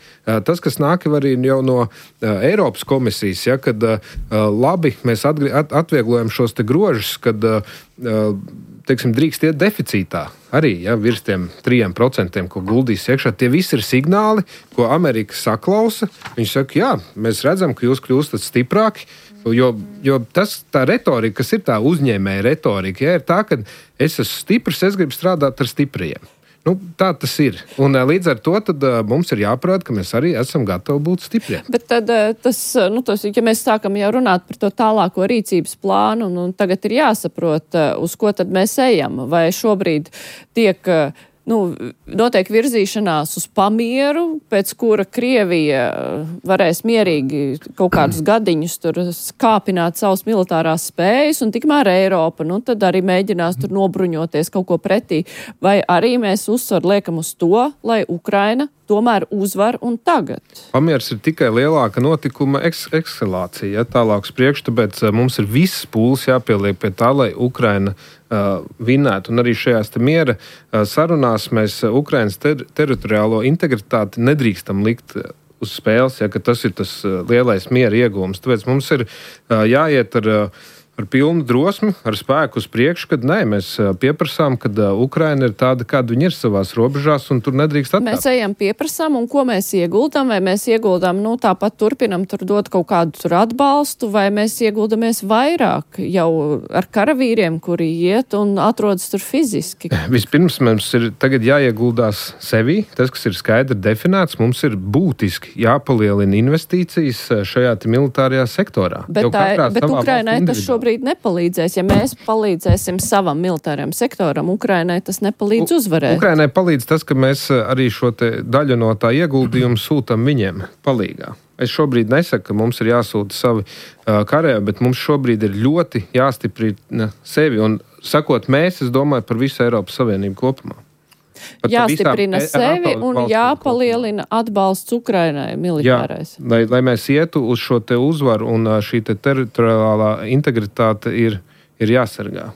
Tas, kas nāk arī jau no Eiropas komisijas, ja, kad labi mēs atvieglojam šos te grožus, kad teiksim, drīkst iet deficītā arī, ja, virs tiem 3%, ko guldīs iekšā. Tie visi ir signāli, ko Amerika saklausa. Viņš saka, jā, mēs redzam, ka jūs kļūstat stiprāki, jo tā retorika, kas ir tā uzņēmēja retorika, ja, ir tā, ka es esmu stiprs, es gribu strādāt ar stipriem. Tā tas ir. Un līdz ar to tad, mums ir jāparāda, ka mēs arī esam gatavi būt stipri. Bet tad ja mēs sākam jau runāt par to tālāko rīcības plānu, un tagad ir jāsaprot, uz ko tad mēs ejam. Vai šobrīd tiek notiek virzīšanās uz pamieru, pēc kura Krievija varēs mierīgi kaut kādus gadiņus tur kāpināt savus militārās spējas, un tikmēr Eiropa, tad arī mēģinās tur nobruņoties kaut ko pretī. Vai arī mēs uzsvaru liekam uz to, lai Ukraina tomēr uzvar un tagad? Pamieris ir tikai lielāka notikuma eskalācija, ja, tālāk uz priekšu, tāpēc mums ir viss pūles jāpieliek pie tā, lai Ukraina vinnētu. Un arī šajās te miera sarunās mēs Ukrainas teritoriālo integritāti nedrīkstam likt uz spēles, ja, ka tas ir tas lielais miera iegūms. Tāpēc mums ir jāiet ar pilnu drosmi, ar spēku uz priekšu, kad mēs pieprasām, kad Ukraina ir tāda, kāda viņa ir savās robežās, un tur nedrīkst atkāpt. Mēs ejam pieprasām, un ko mēs ieguldam, vai mēs ieguldam, tāpat turpinam tur dot kaut kādu tur atbalstu, vai mēs ieguldamies vairāk jau ar karavīriem, kuri iet un atrodas tur fiziski. Vispirms mums ir tagad jāieguldās sevī, tas, kas ir skaidri definēts, mums ir būtiski jāpalielina investīcijas šajā militārajā sektorā. Bet Ukrainai tas šobrīd nepalīdzēs. Ja mēs palīdzēsim savam militārajam sektoram, Ukrainai tas nepalīdz uzvarēt. Ukrainai palīdz tas, ka mēs arī šo te daļu no tā ieguldījumu sūtam viņiem palīgā. Es šobrīd nesaku, ka mums ir jāsūta savi karēvi, bet mums šobrīd ir ļoti jāstiprina sevi. Un sakot mēs, es domāju par visu Eiropas Savienību kopumā. Jāstiprina sevi un jāpalielina atbalsts Ukrainai militārais. Jā, lai mēs ietu uz šo te uzvaru un šī te teritoriālā integritāte ir jāsargā.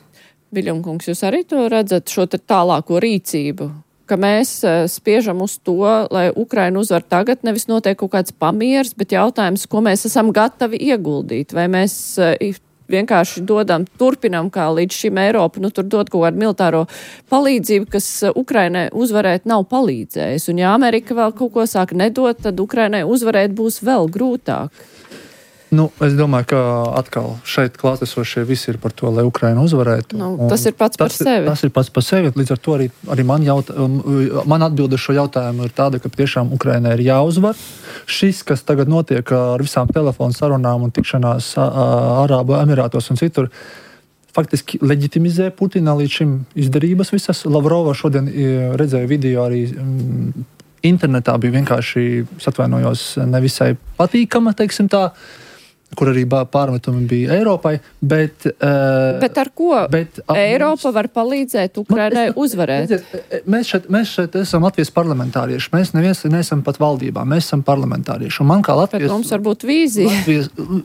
Viļņkungs, jūs arī to redzat, šo te tālāko rīcību, ka mēs spiežam uz to, lai Ukraina uzvar tagad, nevis notiek kaut kāds pamieris, bet jautājums, ko mēs esam gatavi ieguldīt, vai mēs vienkārši turpinām kā līdz šim Eiropu, tur dot kaut kādu militāro palīdzību, kas Ukrainai uzvarēt nav palīdzējis. Un ja Amerika vēl kaut ko sāk nedot, tad Ukrainai uzvarēt būs vēl grūtāk. Es domāju, ka atkal šeit klātesošie visi ir par to, lai Ukraina uzvarētu. Tas ir pats par sevi. Tas ir pats par sevi. Līdz ar to arī man atbilde šo jautājumu ir tāda, ka tiešām Ukrainai ir jāuzvar. Šis, kas tagad notiek ar visām telefonu sarunām un tikšanās Arābu Emirātos un citur, faktiski leģitimizē Putina līdz šim izdarības visas. Lavrova šodien redzēja video arī internetā, bija vienkārši, atvainojos, nevisai patīkama, teiksim tā, kur arī pārmetumi bija Eiropai, bet ar ko Eiropa var palīdzēt Ukrainai uzvarēt? Mēs šeit esam Latvijas parlamentārieši, mēs neesam pat valdībā, mēs esam parlamentārieši. Un man kā Latvijas... Bet mums var būt vīzija.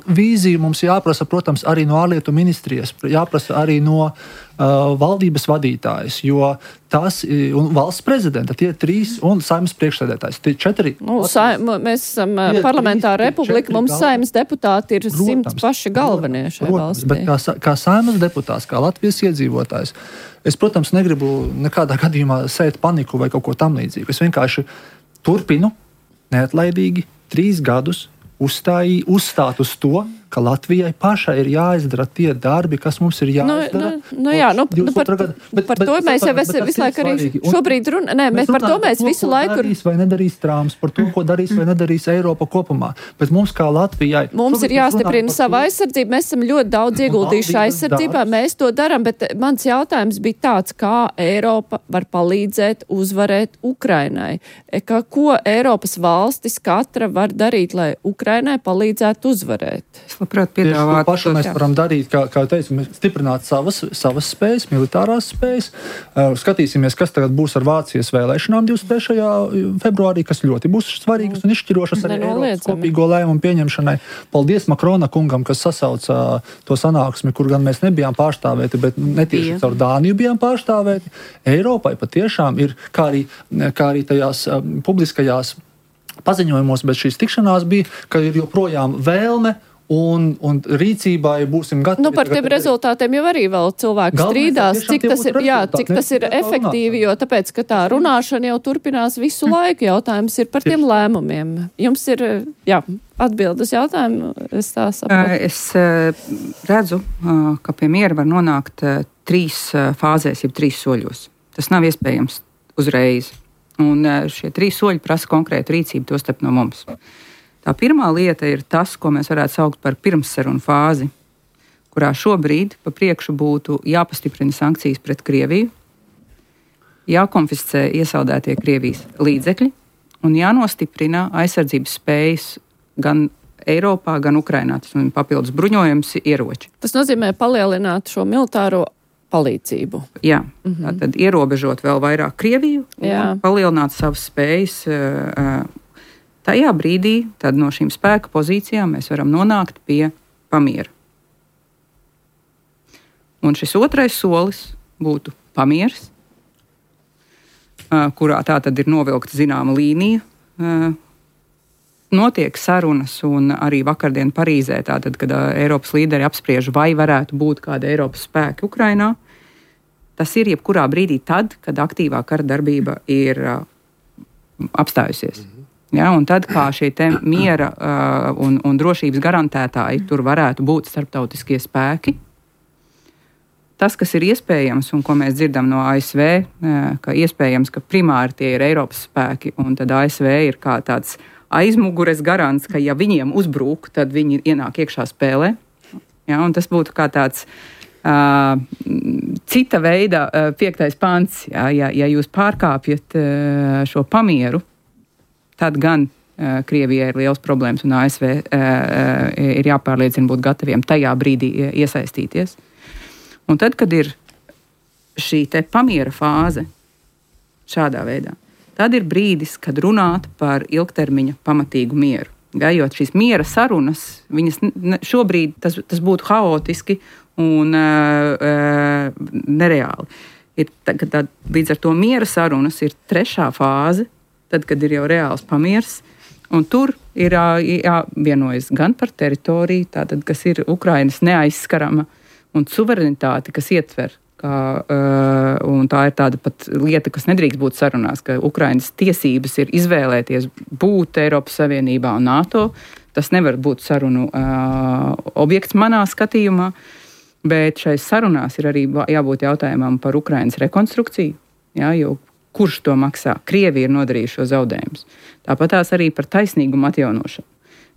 Vīzija mums jāprasa, protams, arī no ārlietu ministrijas, jāprasa arī no valdības vadītājs, jo tas un valsts prezidenta, tie 3 un Saeimas priekšsēdētājs, tie 4. Mēs esam parlamentāra republika, mums Saeimas deputāti ir 100 paši galvenie šajā valstī. Bet kā Saeimas deputāts, kā Latvijas iedzīvotājs, es, protams, negribu nekādā gadījumā sēt paniku vai kaut ko tam līdzīgu. Es vienkārši turpinu neatlaidīgi 3 gadus uzstāt uz to, ka Latvijai pašai ir jāizdara tie darbi, kas mums ir jāizdara. Par to mēs jau visu laiku arī šobrīd runājam. Par to mēs visu laiku... Darīs vai nedarīs Trumps, par to, ko darīs vai nedarīs Eiropa kopumā. Bet mums kā Latvijai... Mums ir jāstiprina sava aizsardzība. Mēs esam ļoti daudz ieguldījuši aizsardzībā. Mēs to daram, bet mans jautājums bija tāds, kā Eiropa var palīdzēt uzvarēt Ukrainai. Ko Eiropas valstis katra var darīt, lai Ukrainai palīdzētu uzvarēt? Labprāt, piedāvāt. Pašu mēs varam darīt, kā teicu, stiprināt savas spējas, militārās spējas. Skatīsimies, kas tagad būs ar Vācijas vēlēšanām 23. februārī, kas ļoti būs svarīgas un izšķirošas arī Eiropas kopīgo lēmumu pieņemšanai. Paldies Makrona kungam, kas sasauca to sanāksmi, kur gan mēs nebijām pārstāvēti, bet netieši caur Dāniju bijām pārstāvēti. Eiropai patiešām ir, kā arī tajās publiskajās paziņojumos, bet šīs tikšanās bija, ka ir joprojām vēlme un rīcībai būsim gatavi. Par tiem rezultātiem jau arī vēl cilvēki strīdās, cik tas ir efektīvi, jo tāpēc, ka tā runāšana jau turpinās visu laiku. Jautājums ir par tiem lēmumiem. Jums ir, atbild uz jautājumu, es tā saprotu. Es redzu, ka pie miera var nonākt 3 fāzēs, jeb 3 soļos. Tas nav iespējams uzreiz. Un šie 3 soļi prasa konkrētu rīcību, tostarp no mums. Tā pirmā lieta ir tas, ko mēs varētu saukt par pirmssarunu fāzi, kurā šobrīd pa priekšu būtu jāpastiprina sankcijas pret Krieviju, jākonfiscē iesaldētie Krievijas līdzekļi un jānostiprina aizsardzības spējas gan Eiropā, gan Ukrainā. Tas ir papildus bruņojums, ieroči. Tas nozīmē palielināt šo militāro palīdzību. Jā, tad ierobežot vēl vairāk Krieviju un palielināt savas spējas. Tajā brīdī tad no šīm spēka pozīcijām mēs varam nonākt pie pamiera. Un šis otrais solis būtu pamieris, kurā tā tad ir novilkta zināma līnija. Notiek sarunas un arī vakardien Parīzē, tātad, kad Eiropas līderi apspriež, vai varētu būt kāda Eiropas spēki Ukrainā. Tas ir jebkurā brīdī tad, kad aktīvā kara darbība ir apstājusies. Ja, un tad, kā šie miera un drošības garantētāji, tur varētu būt starptautiskie spēki. Tas, kas ir iespējams un ko mēs dzirdam no ASV, ka iespējams, ka primāri tie ir Eiropas spēki, un tad ASV ir kā tāds aizmugures garants, ka ja viņiem uzbrūk, tad viņi ienāk iekšā spēlē. Ja, un tas būtu kā tāds cita veida 5. pants. Ja jūs pārkāpjat šo pamieru, tad gan Krievijai ir liels problēmas un ASV ir jāpārliecina būt gataviem tajā brīdī iesaistīties. Un tad, kad ir šī te pamiera fāze, šādā veidā, tad ir brīdis, kad runāt par ilgtermiņa pamatīgu mieru. Ja, jo šīs miera sarunas, šobrīd tas būtu haotiski un nereāli. Līdz ar to miera sarunas ir trešā fāze, tad, kad ir jau reāls pamiers, un tur ir jāvienojas gan par teritoriju, tātad, kas ir Ukrainas neaizskarama, un suverenitāti, kas ietver, un tā ir tāda pat lieta, kas nedrīkst būt sarunās, ka Ukrainas tiesības ir izvēlēties būt Eiropas Savienībā un NATO. Tas nevar būt sarunu objekts manā skatījumā, bet šais sarunās ir arī jābūt jautājumam par Ukrainas rekonstrukciju, ja, jo kurš to maksā? Krievija ir nodarījuši šo zaudējumus. Tāpat tās arī par taisnīgumu atjaunošanu.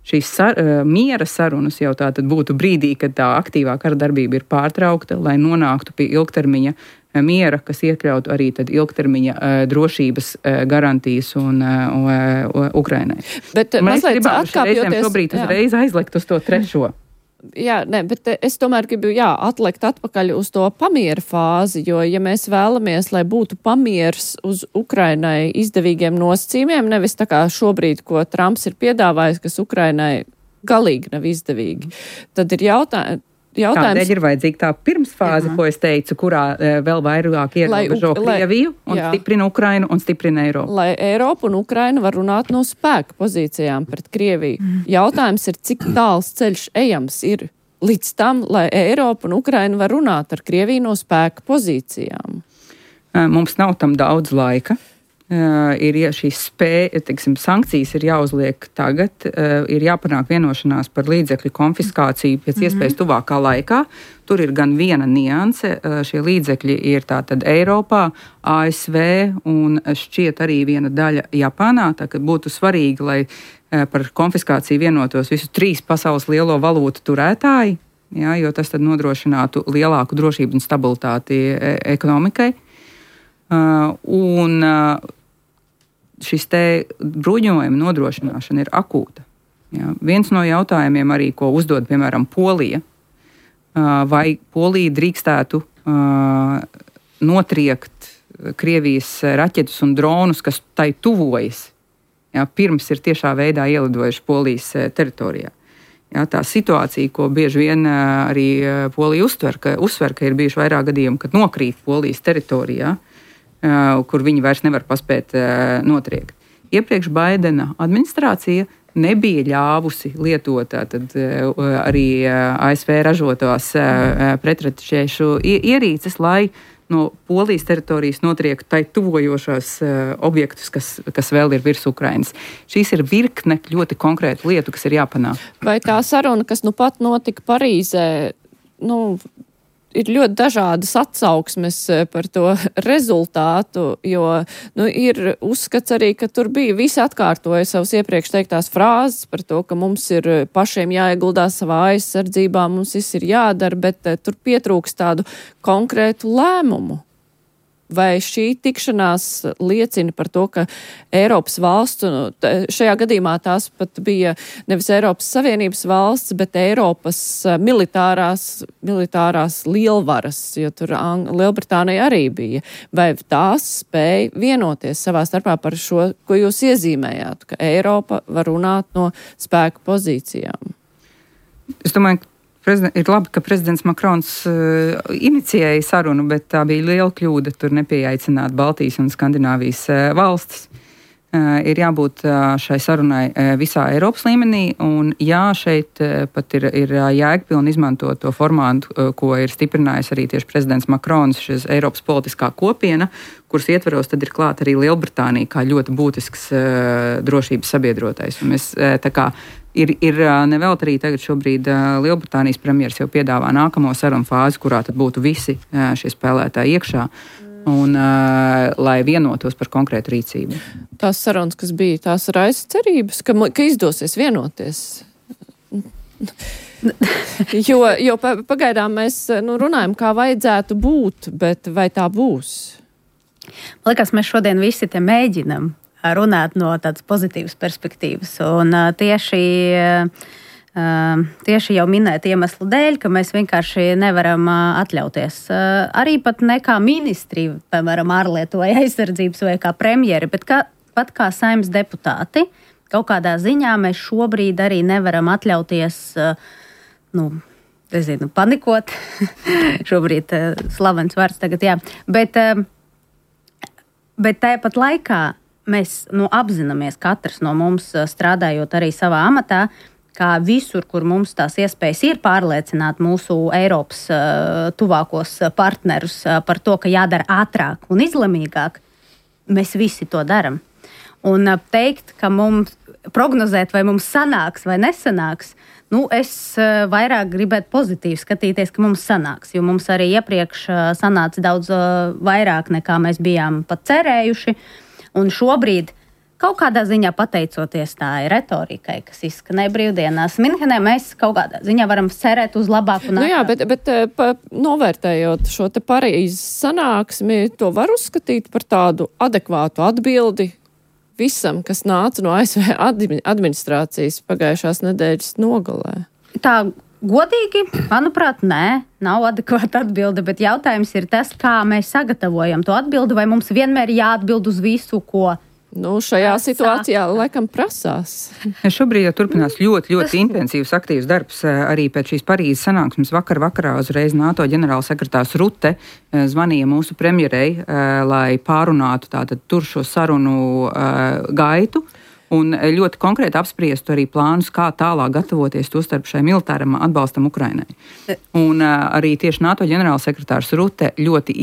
Šīs miera sarunas jau tātad būtu brīdī, kad tā aktīvā kara darbība ir pārtraukta, lai nonāktu pie ilgtermiņa miera, kas iekļautu arī tad ilgtermiņa drošības garantijas un Ukrainai. Bet mazliet atkāpjoties... Šobrīd uzreiz aizlikt uz to trešo. Jā, bet es tomēr gribu atlikt atpakaļ uz to pamiera fāzi, jo, ja mēs vēlamies, lai būtu pamiers uz Ukrainai izdevīgiem nosacījumiem, nevis tā kā šobrīd, ko Trumps ir piedāvājis, kas Ukrainai galīgi nav izdevīgi, tad ir jautājums. Tādēļ ir vajadzīga tā pirmsfāze, ko es teicu, kurā vēl vairāk ierobežo Krieviju un stiprina Ukrainu un stiprina Eiropu. Lai Eiropa un Ukraina var runāt no spēka pozīcijām pret Krieviju. Jautājums ir, cik tāls ceļš ejams ir līdz tam, lai Eiropa un Ukraina var runāt ar Krieviju no spēka pozīcijām. Mums nav tam daudz laika. Ir šīs sankcijas ir jāuzliek tagad, ir jāpanāk vienošanās par līdzekļu konfiskāciju pēc iespējas tuvākā laikā. Tur ir gan viena nianse, šie līdzekļi ir tātad Eiropā, ASV un šķiet arī viena daļa Japānā, tā ka būtu svarīgi, lai par konfiskāciju vienotos visu 3 pasaules lielo valūtu turētāji, ja, jo tas tad nodrošinātu lielāku drošību un stabilitāti ekonomikai. Un šis te bruņojuma nodrošināšana ir akūta. Ja. Viens no jautājumiem arī, ko uzdod, piemēram, Polija, vai Polija drīkstētu notriekt Krievijas raķetus un dronus, kas tai tuvojas, ja, pirms ir tiešā veidā ielidojuši Polijas teritorijā. Ja, tā situācija, ko bieži vien arī Polija uzsver, ka ir bijuši vairāk gadījumi, kad nokrīt Polijas teritorijā, kur viņi vairs nevar paspēt notriekt. Iepriekš Baidena administrācija nebija ļāvusi lietot arī ASV ražotās pretraķešu ierīces, lai no Polijas teritorijas notriektu tai tuvojošās objektus, kas vēl ir virs Ukrainas. Šīs ir virkne ļoti konkrētu lietu, kas ir jāpanāk. Vai tā saruna, kas nu pat notika Parīzē, ir ļoti dažādas atsauksmes par to rezultātu, jo ir uzskats arī, ka tur bija visi atkārtoja savas iepriekš teiktās frāzes par to, ka mums ir pašiem jāieguldās savā aizsardzībā, mums viss ir jādara, bet tur pietrūks tādu konkrētu lēmumu. Vai šī tikšanās liecina par to, ka Eiropas valsts, šajā gadījumā tās pat bija nevis Eiropas Savienības valsts, bet Eiropas militārās lielvaras, jo tur Lielbritānija arī bija. Vai tās spēja vienoties savā starpā par šo, ko jūs iezīmējāt, ka Eiropa var runāt no spēka pozīcijām? Es domāju, ir labi, ka prezidents Makrons inicijēja sarunu, bet tā bija liela kļūda tur nepieaicināt Baltijas un Skandināvijas valstis. Ir jābūt šai sarunai visā Eiropas līmenī, un šeit pat ir jēgpilni izmantot to formātu, ko ir stiprinājis arī tieši prezidents Makrons, šis Eiropas politiskā kopiena, kuras ietveros tad ir klāt arī Lielbritānija kā ļoti būtisks drošības sabiedrotais. Un mēs Ir nevēlt arī tagad šobrīd Lielbritānijas premjeras jau piedāvā nākamo sarunu fāzi, kurā tad būtu visi šie spēlētāji iekšā, un lai vienotos par konkrētu rīcību. Tās sarunas, kas bija, tās raisa cerības, ka izdosies vienoties. jo pagaidām mēs runājam, kā vajadzētu būt, bet vai tā būs? Man liekas, mēs šodien visi te mēģinam runāt no tādas pozitīvas perspektīvas. Un tieši Tieši jau minēt iemeslu dēļ, ka mēs vienkārši nevaram atļauties. Arī pat ne kā ministri, piemēram, ārlietu vai aizsardzības vai kā premjeri, bet pat kā saimnes deputāti, kaut kādā ziņā mēs šobrīd arī nevaram atļauties, panikot. Šobrīd slavens vārds tagad, jā. Bet tāpat laikā mēs apzināmies katrs no mums strādājot arī savā amatā, kā visur, kur mums tās iespējas ir pārliecināt mūsu Eiropas tuvākos partnerus par to, ka jādara ātrāk un izlemīgāk, mēs visi to daram. Un teikt, ka mums prognozēt, vai mums sanāks vai nesanāks, es vairāk gribētu pozitīvi skatīties, ka mums sanāks, jo mums arī iepriekš sanāca daudz vairāk, nekā mēs bijām pat cerējuši. Un šobrīd kaut kādā ziņā pateicoties tā retorikai, kas izskanēja brīvdienās Minhenē, mēs kaut kādā ziņā varam cerēt uz labāku nākotni. Jā, bet novērtējot šo te Parīzes sanāksmi, to var uzskatīt par tādu adekvātu atbildi visam, kas nāca no ASV administrācijas pagājušās nedēļas nogalē. Tā godīgi, manuprāt, nav adekvāta atbilde, bet jautājums ir tas, kā mēs sagatavojam to atbildi, vai mums vienmēr jāatbild uz visu, ko šajā situācijā laikam prasās. Šobrīd turpinās ļoti intensīvs, aktīvs darbs arī pēc šīs Parīzes sanāksmes. Vakarā uzreiz NATO ģenerālsekretārs Rutte zvanīja mūsu premjerei, lai pārunātu tātad tur šo sarunu gaitu. Un ļoti konkrēti apspriestu arī plānus, kā tālāk gatavoties to starp šai militāram atbalstam Ukrainai. Un arī tieši NATO ģenerālsekretārs Rutte ļoti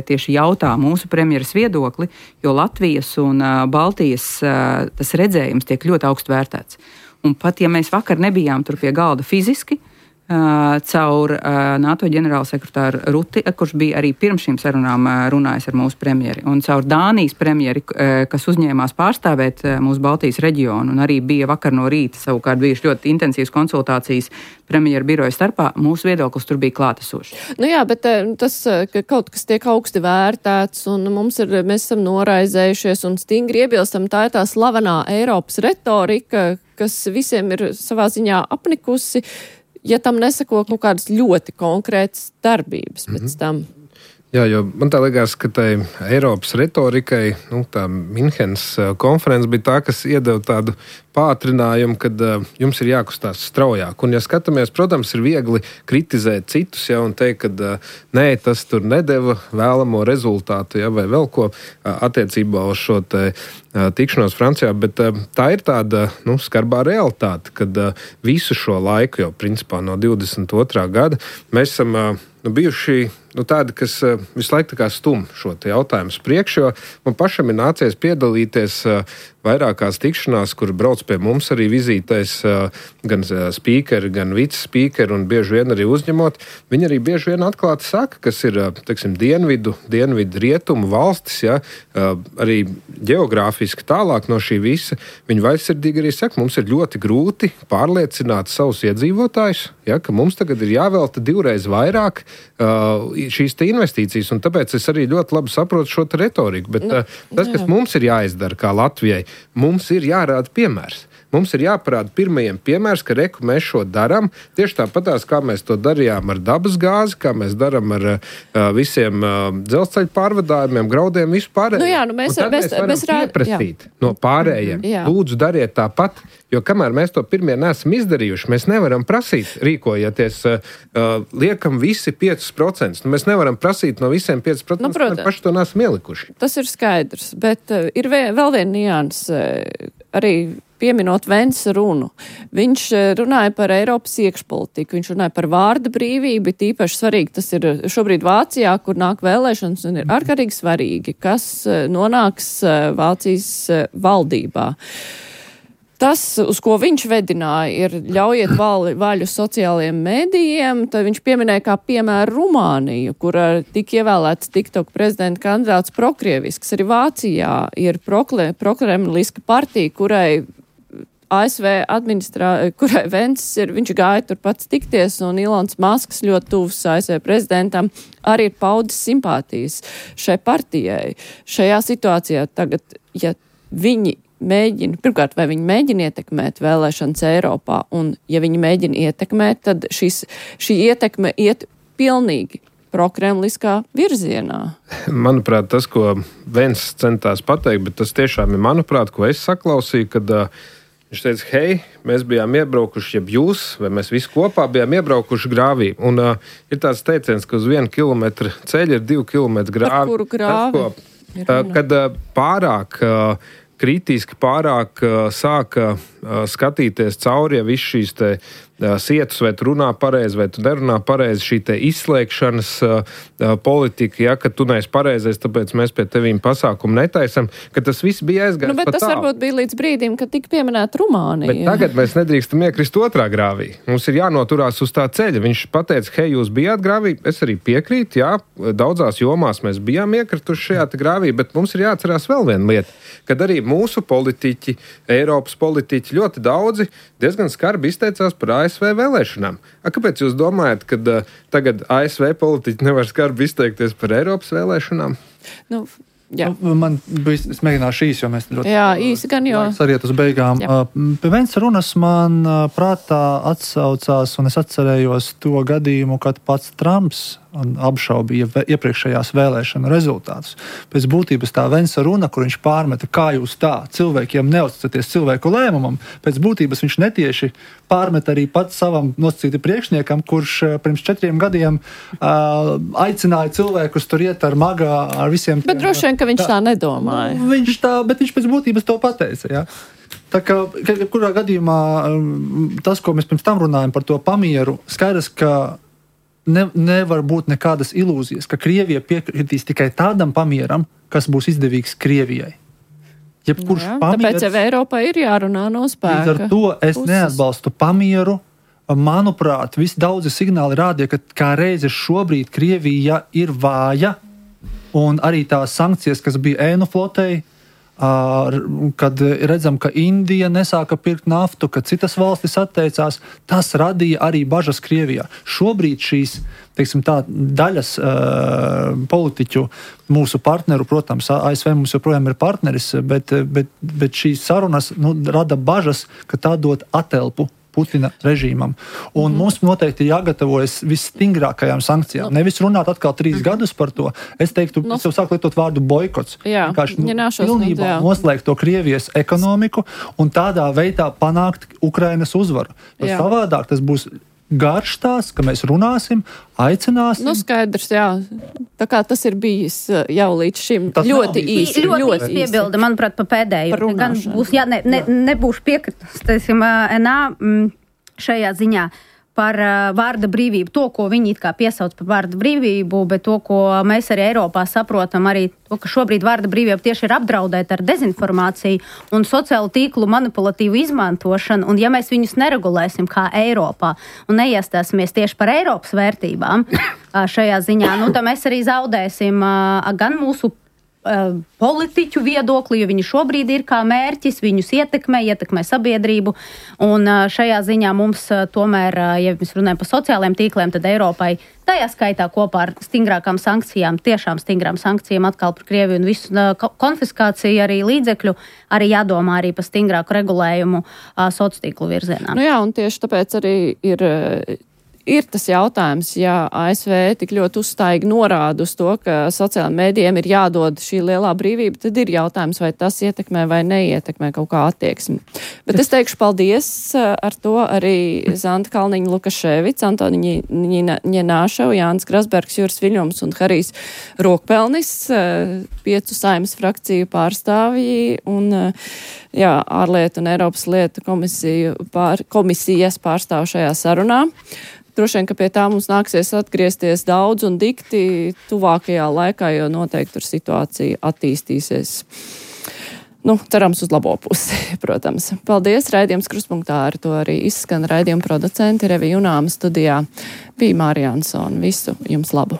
tieši jautā mūsu premjeras viedokli, jo Latvijas un Baltijas tas redzējums tiek ļoti augstu vērtēts. Un pat ja mēs vakar nebijām tur pie galda fiziski, caur NATO ģenerālsekretāru Rutti, kurš bija arī pirms šīm sarunām runājis ar mūsu premjeri, un caur Dānijas premjeri, kas uzņēmās pārstāvēt mūsu Baltijas reģionu, un arī bija vakar no rīta savukārt bijuši ļoti intensīvas konsultācijas premjeru biroja starpā, mūsu viedoklis tur bija klātesošs. Jā, bet tas, ka kaut kas tiek augsti vērtēts, un mēs esam noraizējušies un stingri iebilstam, tā ir tā slavenā Eiropas retorika, kas visiem ir savā ziņā apnikusi, ja tam nesako kaut kādas ļoti konkrētas darbības pēc tam. Jā, jo man tā liekas, ka tai Eiropas retorikai, tā Minhenes konferences bija tā, kas iedeva tādu pātrinājumu, kad jums ir jākustās straujāk. Un, ja skatāmies, protams, ir viegli kritizēt citus, un teikt, ka nē, tas tur nedeva vēlamo rezultātu, vai vēl ko attiecībā uz šo tikšanos Francijā, bet tā ir tāda skarbā realitāte, kad visu šo laiku, jau principā no 22. gada, mēs esam bijuši tādi, kas visu laiku stum šo jautājumu priekš, jo man pašam ir nācies piedalīties vairākās tikšanās, kur brauc pie mums arī vizītēs gan spīkeri, gan vicespīkeri un bieži vien arī uzņemot. Viņi arī bieži vien atklāti saka, kas ir, dienvidu rietumu valstis, arī geogrāfiski tālāk no šī visa. Viņi vaļsirdīgi arī saka, mums ir ļoti grūti pārliecināt savus iedzīvotājus, ka mums tagad ir jāvelta 2 reizes vairāk šīs investīcijas, un tāpēc es arī ļoti labi saprotu šo retoriku. Bet tas, kas mums ir jāizdara kā Latvijai, mums ir jārāda piemērs. Mums ir jāparāda pirmajiem piemērs, ka mēs šo darām. Tieši tāpatās, kā mēs to darījām ar dabas gāzi, kā mēs darām ar visiem dzelzceļa pārvadājumiem, graudiem, vispārējiem. Mēs varam pieprasīt no pārējiem. Lūdzu, dariet tāpat, jo kamēr mēs to pirmie neesam izdarījuši, mēs nevaram prasīt, rīkojieties, liekam visi 5%. Mēs nevaram prasīt no visiem 5%, mēs paši to neesam ielikuši. Tas ir skaidrs, bet ir vēl viena nianse, arī pieminot Vence runu. Viņš runāja par Eiropas iekšpolitiku, viņš runāja par vārda brīvību, tīpaši svarīgi tas ir šobrīd Vācijā, kur nāk vēlēšanas un ir ārkārtīgi svarīgi, kas nonāks Vācijas valdībā. Tas, uz ko viņš vedināja, ir ļaujiet vaļu sociālajiem mēdījiem, tad viņš pieminēja kā piemēru Rumāniju, kur tika ievēlēts TikTok prezidenta kandidāts prokrievisks. Arī Vācijā ir prokremliska partija, kurai ASV kurai Vence viņš gāja tur pats tikties, un Ilons Masks ļoti tuvs ASV prezidentam arī ir paudis simpātijas šai partijai. Šajā situācijā tagad, ja viņi pirmkārt, vai viņi mēģina ietekmēt vēlēšanas Eiropā, un ja viņi mēģina ietekmēt, tad šī ietekme iet pilnīgi prokremliskā virzienā. Manuprāt, tas, ko Vens centās pateikt, bet tas tiešām ir, manuprāt, ko es saklausīju, kad viņš teica, hei, mēs bijām iebraukuši, jeb jūs, vai mēs visi kopā bijām iebraukuši grāvī. Un ir tāds teiciens, ka uz 1 kilometru ceļa ir 2 kilometru grāvi. Par kuru grāvi? Kad pārāk kritiski, pārāk sāka skatīties cauri, ja viss šīs te sietus, vai tu runā pareizi, vai tu nerunā pareizi, šī te izslēgšanas politika, ja, ka tu neesi pareizais, tāpēc mēs pie tevīm pasākumu netaisam, ka tas viss bija aizgājis bet tas varbūt bija līdz brīdim, kad tika pieminēta Rumānija. Bet tagad mēs nedrīkstam iekrist otrā grāvī. Mums ir jānoturās uz tā ceļa. Viņš pateica, hei, jūs bijāt grāvī, es arī piekrītu, jā, daudzās jomās mēs bijām iekrituši šajā grāvī, bet mums ir jāatcerās vēl viena lieta, kad arī mūsu politiķi, Eiropas politiķi ļoti daudzi diezgan skarbi izteicās par ASV vēlēšanām. Kāpēc jūs domājat, ka tagad ASV politiķi nevar skarbi izteikties par Eiropas vēlēšanām? Man bija, es mēģināšu īsi, jo mēs ļoti... Jā, īsi gan, jo... Sariet uz beigām. Pie Vens runas man prātā atsaucās, un es atcerējos to gadījumu, kad pats Trumps apšaubīja iepriekšējās vēlēšanu rezultātus. Pēc būtības tā Vensa runa, kur viņš pārmeta, kā jūs tā cilvēkiem neuzticaties cilvēku lēmumam, pēc būtības viņš netieši pārmeta arī pats savam nosacīti priekšniekam, kurš pirms 4 gadiem aicināja cilvēkus tur iet ar magā, ar visiem... Bet droši vien, ka viņš tā nedomāja. Bet viņš pēc būtības to pateica, jā. Tā kā, kurā gadījumā tas, ko mēs pirms tam runājam par to pamieru, skaidrs, ka nevar būt nekādas ilūzijas, ka Krievija piekritīs tikai tādam pamieram, kas būs izdevīgs Krievijai. Jebkurš pamieris... Tāpēc jau Eiropai ir jārunā no spēka. Līdz ar to es neatbalstu pamieru. Manuprāt, visi daudzi signāli rādīja, ka kā reizi šobrīd Krievija ir vāja, un arī tās sankcijas, kas bija ēnu flotei, kad redzam, ka Indija nesāka pirkt naftu, ka citas valstis atteicās, tas radīja arī bažas Krievijā. Šobrīd šīs, teiksim tā, daļas politiķu, mūsu partneru, protams, ASV mums joprojām ir partneris, bet šīs sarunas rada bažas, ka tā dod atelpu Putina režīmam. Un mums noteikti jāgatavojas visstingrākajām sankcijām. Nevis runāt atkal 3 gadus par to. Es teiktu, es jau sāku lietot vārdu boikots. Pilnībā noslēgt to Krievijas ekonomiku un tādā veidā panākt Ukrainas uzvaru. Savādāk tas būs garš tās, ka mēs runāsim, aicināsim. Skaidrs, jā. Tā kā tas ir bijis jau līdz šim tas ļoti īsi. Ļoti piebilda, manuprāt, pa pēdējo. Gan būs, nebūšu piekritus, teiksim, šajā ziņā par vārda brīvību. To, ko viņi it kā piesauc par vārda brīvību, bet to, ko mēs arī Eiropā saprotam, arī to, ka šobrīd vārda brīvība tieši ir apdraudēta ar dezinformāciju un sociālu tīklu manipulatīvu izmantošanu, un ja mēs viņus neregulēsim kā Eiropā un neiestāsimies tieši par Eiropas vērtībām šajā ziņā, tad mēs arī zaudēsim gan mūsu politiķu viedokli, jo viņi šobrīd ir kā mērķis, viņus ietekmē sabiedrību, un šajā ziņā mums tomēr, ja mēs runājam par sociālajiem tīkliem, tad Eiropai tajā skaitā kopā ar stingrākām sankcijām, tiešām stingrām sankcijām atkal par Krieviju un visu konfiskāciju arī līdzekļu, arī jādomā arī par stingrāku regulējumu sociālo tīklu virzienā. Un tieši tāpēc arī ir tas jautājums, ja ASV tik ļoti uzstājīgi norāda uz to, ka sociālajiem mēdījiem ir jādod šī lielā brīvība, tad ir jautājums, vai tas ietekmē vai neietekmē kaut kā attieksmi. Bet es teikšu paldies ar to arī Zanta Kalniņa Lukaševics, Antoniņa Ņenāševa, Jānis Grasbergs, Juris Viļņums un Harijs Rokpelnis, 5 Saeimas frakciju pārstāvji un ārlietu un Eiropas lietu komisijas pārstāv šajā sarunā. Droši vien, ka pie tā mums nāksies atgriezties daudz un dikti tuvākajā laikā, jo noteikti tur situācija attīstīsies. Cerams uz labo pusi, protams. Paldies, raidījums Krustpunktā, ar to arī izskan raidījuma producenti Revija Junāma studijā. Bija Mārija Ansone. Visu jums labu!